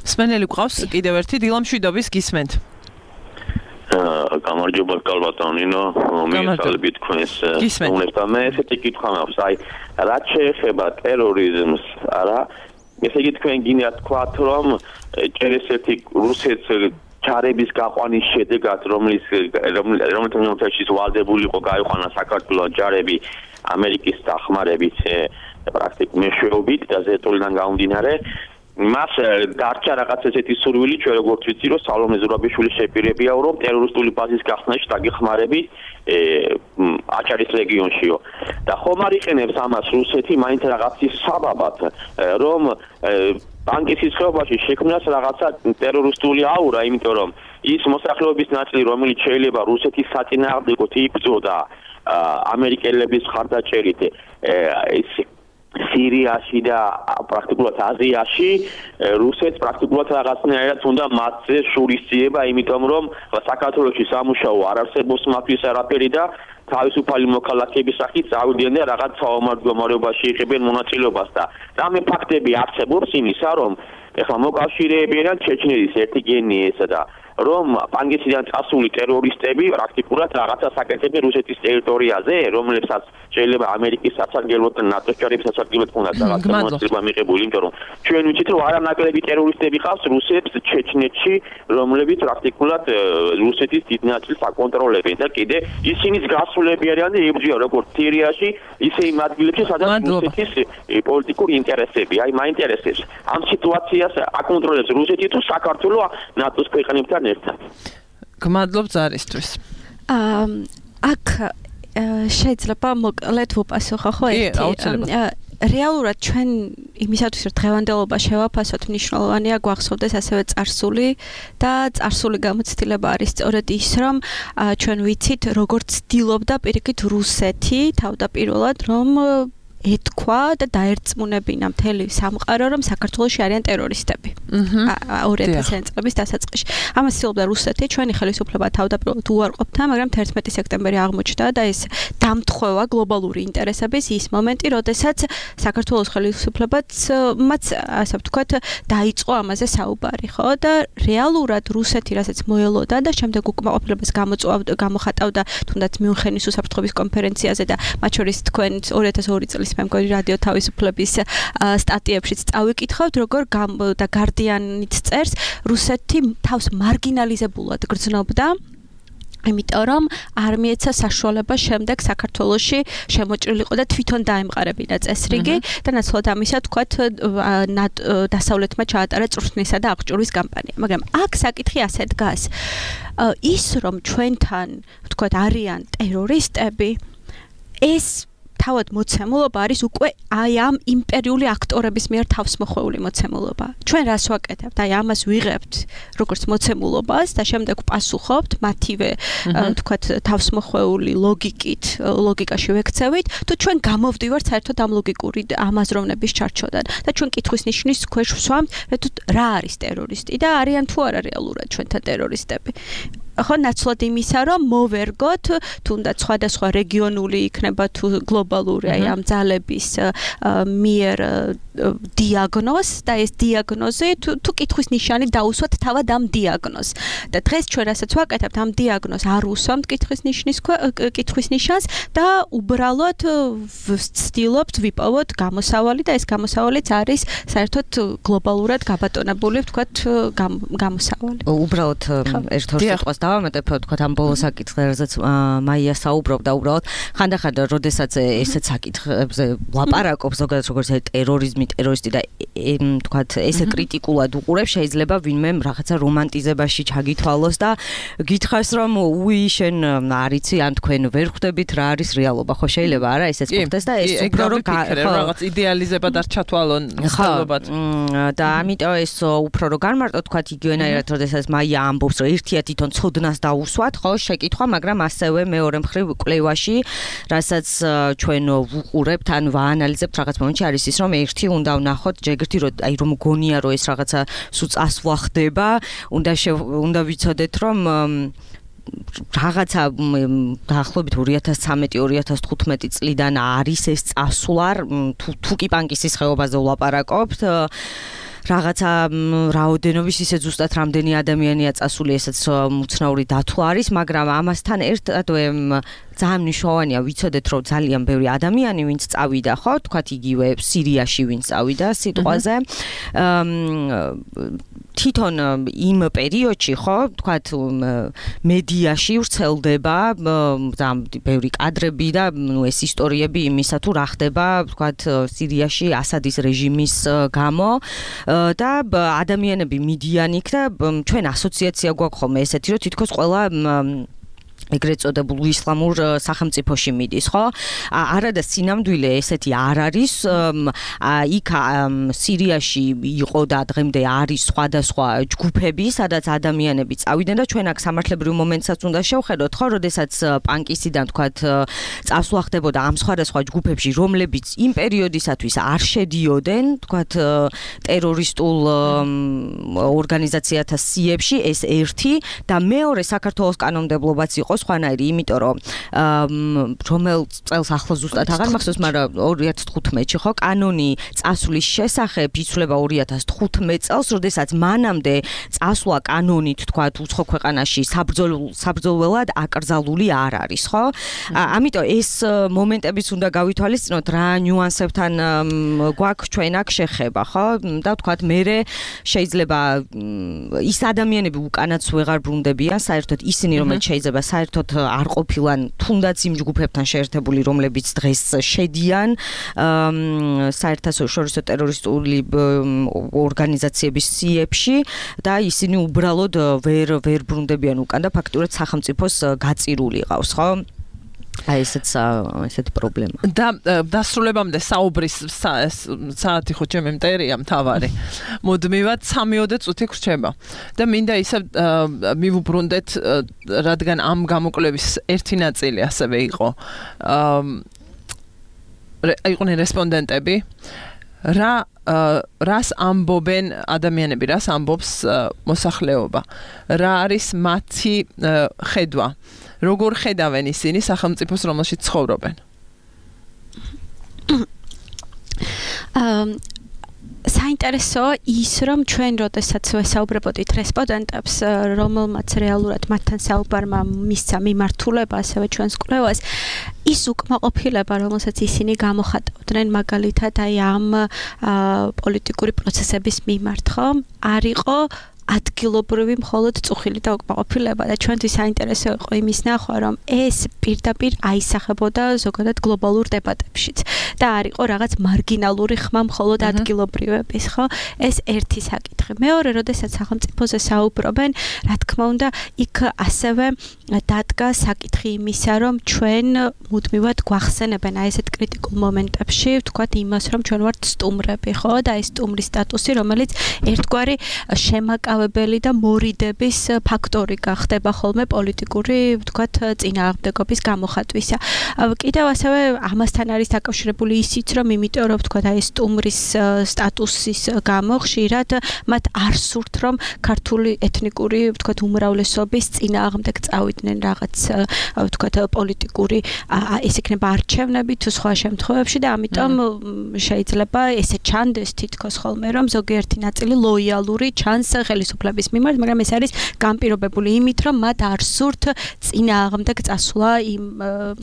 მსმენელი გვყავს კიდევ ერთი დილამშვიდობის გისმენთ. გამარჯობა კალბატონინო, მიესალმებით თქვენს უნებს და მე ესეთი კითხვა მაქვს, აი რაც შეეხება ტერორიზმს, არა, ესე იგი თქვენ გინდათ თქვათ, რომ ჭერესეთი რუსეთს ჩარების გაყვანის შედეგად, რომლის რომელიც მომთაშის ვალდებული იყო გაიყვანა საქართველოს ჯარები ამერიკის დახმარებით პრაქტიკულ მეშვეობით და ზეტულიდან გამომდინარე, მას დარჩა რაღაც ესეთი სურვილი, ჩვენ როგორც ვიცი, რომ სალომე ზურაბიშვილის შეპირებია, რომ ტერორისტული ბაზის გახსნაში დაგეხმარებით აჭარის რეგიონშიო. და ხომ არ იყენებს ამას რუსეთი მაინც რაღაცის საბაბად, რომ პანკისის ხეობაში შექმნას რაღაცა ტერორისტული აურა, იმიტომ რომ ის მოსახლეობის ნაწილი, რომელიც შეიძლება რუსეთის საწინააღმდეგოდ იბრძოდა ამერიკელების მხარდაჭერით ის სირიაში და პრაქტიკულად აზიაში, რუსეთს პრაქტიკულად რაღაცნაირად უნდა მათზე შურისძიება, იმიტომ რომ საქართველოში სამუშაო არ არსებობს მათთვის არაფერი და თავისუფალი მოქალაქეების სახით წავიდიან და რაღაც საომარ-მდგომარეობაში იღებენ მონაწილეობას და რამე ფაქტები არსებობს იმისა, რომ ეხლა მოკავშირეებიან ჩეჩნეთის ერთი გენიესა და რომ პანგისიდან წასული ტერორისტები პრაქტიკულად რაღაცა საკეთებენ რუსეთის ტერიტორიაზე, რომლებსაც შეიძლება ამერიკის სასარგებლოდ და ნატოს ჯარების სასარგებლოდ უნდა რაღაცა მონაწილეობა მიღებული, იმიტომ რომ ჩვენ ვიცით, რომ არანაკლები ტერორისტები ყავს რუსებს ჩეჩნეთში, რომლებიც პრაქტიკულად რუსეთის დიდ ნაწილს აკონტროლებენ და კიდე ისინიც გასულები არიან და იბრძვიან როგორც სირიაში, ისე იმ ადგილებში, სადაც რუსეთის პოლიტიკური ინტერესები. აი, მაინტერესებს ამ სიტუაციას აკონტროლებს რუსეთი თუ საქართველო ნატოს ქვეყნებთან ერთად. გმადლობ ზარისთვის. აა აქ შეიძლება მოკლედ ვუპასუხო ხო ერთი რეალურად ჩვენ იმისათვის რომ დღევანდელობა შევაფასოთ მნიშვნელოვანია გვახსოვდეს ასევე წარსული და წარსული გამოცდილება არის სწორედ ის რომ ჩვენ ვიცით როგორც ცდილობდა პირიქით რუსეთი თავდაპირველად რომ ეთქვა და დაერწმუნებინა მთელი სამყარო რომ საქართველოში არიან ტერორისტები. ორი ათასიანი წლების დასაწყისში. ამას ცდილობდა რუსეთი, ჩვენი ხელისუფლება თავდაპირველად უარყოფდა, მაგრამ თერთმეტი სექტემბერი აღმოჩნდა და ეს დამთხოვა გლობალური ინტერესების ის მომენტი, როდესაც საქართველოს ხელისუფლებაც მათ ასე ვთქვათ დაიწყო ამაზე საუბარი, ხო? და რეალურად რუსეთი რასაც მოელოდა და შემდეგ უკმაყოფილებას გამოწვავდა, გამოხატავდა თუნდაც მიუნხენის უსაფრთხოების კონფერენციაზე და მათ შორის თქვენ ორი ათას ორი წლის მე მგონი რადიო თავისუფლების სტატიებშიც წავიკითხავთ, როგორ და გარდიანიც წერს, რუსეთი თავს მარგინალიზებულად გრძნობდა, იმიტომ რომ არ მიეცა საშუალება შემდეგ საქართველოში შემოჭრილიყო და თვითონ დაემყარებინა წესრიგი და ნაცვლად ამისა თქვათ დასავლეთმა ჩაატარა წვრთნისა და აღჭურვის კამპანია. მაგრამ აქ საკითხი ასე დგას. ის რომ ჩვენთან თქვათ არიან ტერორისტები, ეს თავად მოცემულობა არის უკვე აი ამ იმპერიული აქტორების მიერ თავსმოხვეული მოცემულობა. ჩვენ რას ვაკეთებთ? აი ამას ვიღებთ როგორც მოცემულობას და შემდეგ ვპასუხობთ მათივე თქვათ თავსმოხვეული ლოგიკით, ლოგიკაში ვექცევით, თუ ჩვენ გამოვდივართ საერთოდ ამ ლოგიკური ამაზროვნების ჩარჩოდან და ჩვენ კითხვის ნიშნის ქვეშ ვსვამთ, რა არის ტერორისტი და არიან თუ არა რეალურად ჩვენთან ტერორისტები. ხო ნაცვლად იმისა რომ მოვერგოთ თუნდაც სხვადასხვა რეგიონული იქნება თუ გლობალური აი ამ ძალების მიერ დიაგნოზს და ეს დიაგნოზი თუ თუ კითხვის ნიშანი დაუსვათ თავად ამ დიაგნოზს. და დღეს ჩვენ რასაც ვაკეთებთ ამ დიაგნოზს არ უსვამთ კითხვის ნიშნის კითხვის ნიშანს და უბრალოდ ვცდილობთ ვიპოვოთ გამოსავალი და ეს გამოსავალიც არის საერთოდ გლობალურად გაბატონებული ვთქვათ გამოსავალი. უბრალოდ ერთ ორ სიტყვას დავამატებ ვთქვათ ამ ბოლო საკითხზე რაზეც მაია საუბრობდა უბრალოდ ხანდახან როდესაც ესეც საკითხებზე ლაპარაკობს ზოგადად როგორც ტერორიზმი ტერორისტი და ვთქვათ ესე კრიტიკულად უყურებს შეიძლება ვინმე რაღაცა რომანტიზებაში ჩაგითვალოს და გითხრას რომ უი შენ არიცი ან თქვენ ვერ ხვდებით რა არის რეალობა ხო შეიძლება არა ესეც ხვდეს და ეს უფრო რომ რაღაც იდეალიზებად არ ჩათვალონ სწავლობად და ამიტომ ეს უფრო რომ განმარტო ვთქვათ იგივენაირად როდესაც მაია ამბობს რომ ერთია თვითონ ცოდნას დაუსვათ ხო შეკითხვა მაგრამ ასევე მეორე მხრივ კვლევაში რასაც ჩვენ ვუყურებთ ან ვაანალიზებთ რაღაც მომენტში არის ის რომ ერთი უნდა ვნახოთ ჯერგერთი რომ აი რომ გონია რომ ეს რაღაცა სულ წასვლა ხდება უნდა უნდა ვიცოდეთ რომ რაღაცა დაახლოებით ორი ათას ცხრამეტი ორი ათას თხუთმეტი წლიდან არის ეს წასვლა თუ თუ კი პანკისის ხეობაზე ვლაპარაკობთ რაღაცა რაოდენობის ისე ზუსტად რამდენი ადამიანია წასული ესეც უცნაური დათვლა არის მაგრამ ამასთან ერთადვე ძალიან მნიშვნელოვანია ვიცოდეთ რომ ძალიან ბევრი ადამიანი ვინც წავიდა ხო თქვათ იგივე სირიაში ვინც წავიდა სიტყვაზე თვითონ იმ პერიოდში ხო თქვათ მედიაში ვრცელდება ძალიან ბევრი კადრები და ნუ ეს ისტორიები იმისა თუ რა ხდება თქვათ სირიაში ასადის რეჟიმის გამო და ადამიანები მიდიან იქ და ჩვენ ასოციაცია გვაქვს ხოლმე ესეთი რომ თითქოს ყველა ეგრეთ წოდებულ ისლამურ სახელმწიფოში მიდის, ხო? არადა სინამდვილე ესეთი არ არის. იქ სირიაში იყო და დღემდე არის სხვადასხვა ჯგუფები, სადაც ადამიანები წავიდნენ და ჩვენ აქ სამართლებრივ მომენტსაც უნდა შევხედოთ, ხო, როდესაც პანკისიდან თქვათ წასვლა ხდებოდა ამ სხვადასხვა ჯგუფებში, რომლებიც იმ პერიოდისათვის არ შედიოდნენ, თქვათ ტერორისტულ ორგანიზაციათა სიებში, ეს ერთი და მეორე საქართველოს კანონმდებლობაც იყო სხვანაირი, იმიტომ რომ რომელ წელს ახლა ზუსტად აღარ მახსოვს, მაგრამ ორი ათას თხუთმეტში ხო კანონი წასვლის შესახებ იცვლება ორი ათას თხუთმეტ წელს, როდესაც მანამდე წასვლა კანონით თქვათ უცხო ქვეყანაში საბრძოლველად აკრძალული არ არის, ხო? ამიტომ ეს მომენტებიც უნდა გავითვალისწინოთ, რა ნიუანსებთან გვაქვს ჩვენ აქ შეხება, ხო? და თქვათ მე შეიძლება ის ადამიანები უკანაც ვეღარ ბრუნდებიან, საერთოდ ისინი რომელიც შეიძლება საერთოდ არ ყოფილან თუნდაც იმ ჯგუფებთან შეერთებული, რომლებიც დღეს შედიან საერთაშორისო ტერორისტული ორგანიზაციების სიებში და ისინი უბრალოდ ვერ ვერ ბრუნდებიან უკან და ფაქტურად სახელმწიფოს გაწირული ყავს, ხო? აი ესეც ესეთი პრობლემა. და დასრულებამდე საუბრის საათი ხო ჩემი მტერია მთავარი. მუდმივად სამიოდე წუთი გრჩება. და მინდა ისე მივუბრუნდეთ, რადგან ამ გამოკვლევის ერთი ნაწილი ასევე იყო. იყვნენ რესპონდენტები. რა რას ამბობენ ადამიანები, რას ამბობს მოსახლეობა? რა არის მათი ხედვა? როგორ ხედავენ ისინი სახელმწიფოს, რომელშიც ცხოვრობენ? საინტერესოა ის, რომ ჩვენ როდესაც ვესაუბრებოდით რესპონდენტებს, რომელმაც რეალურად მათთან საუბარმა მისცა მიმართულება ასევე ჩვენს კვლევას, ის უკმაყოფილება, რომელსაც ისინი გამოხატავდნენ მაგალითად აი ამ პოლიტიკური პროცესების მიმართ, ხო? არ იყო ადგილობრივი მხოლოდ წუხილი და უკმაყოფილება და ჩვენთვის საინტერესო იყო იმის ნახვა, რომ ეს პირდაპირ აისახებოდა ზოგადად გლობალურ დებატებშიც და არ იყო რაღაც მარგინალური ხმა მხოლოდ ადგილობრივების, ხო? ეს ერთი საკითხი. მეორე, როდესაც სახელმწიფოზე საუბრობენ, რა თქმა უნდა, იქ ასევე დადგა საკითხი იმისა, რომ ჩვენ მუდმივად გვახსენებენ აი ესეთ კრიტიკულ მომენტებში, ვთქვათ იმას, რომ ჩვენ ვართ სტუმრები, ხო? და ეს სტუმრის სტატუსი, რომელიც ერთგვარი შემაკავ მისწავებელი და მორიდების ფაქტორი გახდება ხოლმე პოლიტიკური, ვთქვათ, წინააღმდეგობის გამოხატვისა. კიდევ ასევე ამასთან არის დაკავშირებული ისიც, რომ იმიტომ რომ ვთქვათ, აი სტუმრის სტატუსის გამო ხშირად მათ არ სურთ, რომ ქართული ეთნიკური, ვთქვათ, უმრავლესობის წინააღმდეგ წავიდნენ რაღაც, ვთქვათ, პოლიტიკური, ეს იქნება არჩევნები თუ სხვა შემთხვევებში და ამიტომ შეიძლება ესე ჩანდეს თითქოს ხოლმე, რომ ზოგიერთი ნაწილი ლოიალური ჩანს ხელისუფლების მიმართ, მაგრამ ეს არის განპირობებული იმით, რომ მათ არ სურთ წინააღმდეგ წასვლა იმ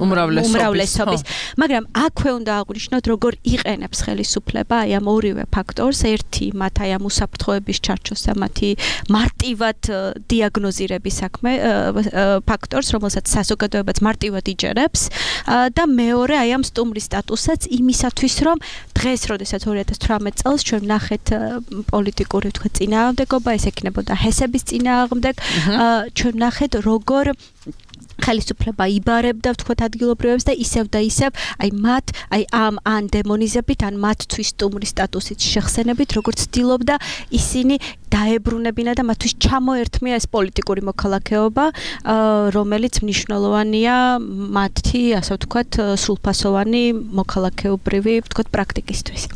უმრავლესობის. მაგრამ აქვე უნდა აღვნიშნოთ, როგორ იყენებს ხელისუფლება აი ამ ორივე ფაქტორს, ერთი მათ აი ამ უსაფრთხოების ჩარჩოს და მათი მარტივად დიაგნოზირების საქმე ფაქტორს, რომელსაც საზოგადოებაც მარტივად იჯერებს და მეორე აი ამ სტუმრის სტატუსაც იმისათვის, რომ დღეს, როდესაც ორი ათას თვრამეტ წელს ჩვენ ვნახეთ პოლიტიკური თქვა წინააღმდეგობა, ეს ექნებოდა ჰესების წინააღმდეგ, ჩვენ ვნახეთ როგორ ხელისუფლება იბარებდა ვთქვათ ადგილობრივებს და ისევ და ისევ აი მათ აი ამ ან დემონიზებით ან მათთვის სტუმრის სტატუსით შეხსენებით როგორც ცდილობდა ისინი დაებრუნებინა და მათთვის ჩამოერთმია ეს პოლიტიკური მოქალაქეობა რომელიც მნიშვნელოვანია მათი ასე ვთქვათ სრულფასოვანი მოქალაქეობრივი ვთქვათ პრაქტიკისთვის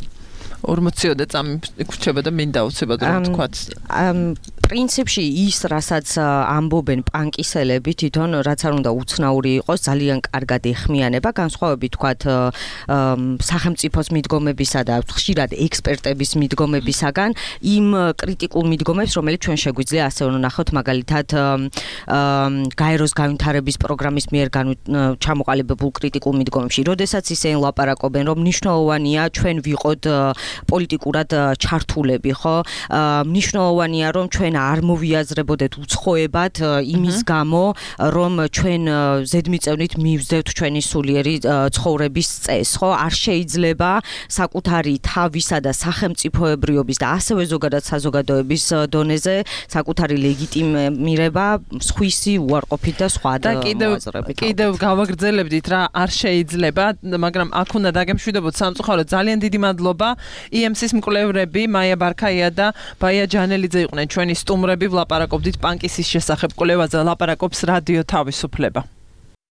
ორმოციოდე წამი იქრჩება და მინდა უცებად რომ ვთქვათ პრინციპში ის რასაც ამბობენ პანკისელები თვითონ რაც არ უნდა უცნაური იყოს ძალიან კარგად ეხმიანება განსხვავებით თქვათ სახელმწიფოს მიდგომებისა და ხშირად ექსპერტების მიდგომებისაგან იმ კრიტიკულ მიდგომებს რომელიც ჩვენ შეგვიძლია ასე ვნახოთ მაგალითად გაეროს განვითარების პროგრამის მიერ ჩამოყალიბებულ კრიტიკულ მიდგომებში როდესაც ისინი ლაპარაკობენ რომ მნიშვნელოვანია ჩვენ ვიყოთ პოლიტიკურად ჩართულები ხო მნიშვნელოვანია რომ ჩვენ არ მოვიაზრებოდეთ უცხოებად იმის გამო რომ ჩვენ ზედმიწევნით მივზდევთ ჩვენი სულიერი ცხოვრების წესს ხო არ შეიძლება საკუთარი თავისა და სახელმწიფოებრიობის და ასევე ზოგადად საზოგადოების დონეზე საკუთარი ლეგიტიმირება სხვისი უარყოფით და სხვა და კიდევ კიდევ გავაგრძელებდით რა არ შეიძლება მაგრამ აქ უნდა დაგემშვიდობოთ სამწუხაროდ ძალიან დიდი მადლობა ი ემ სის მკვლევრები მაია ბარქაია და ბაია ჯანელიძე იყვნენ ჩვენი სტუმრები ვლაპარაკობდით პანკისის შესახებ კვლევაზე ლაპარაკობს რადიო თავისუფლება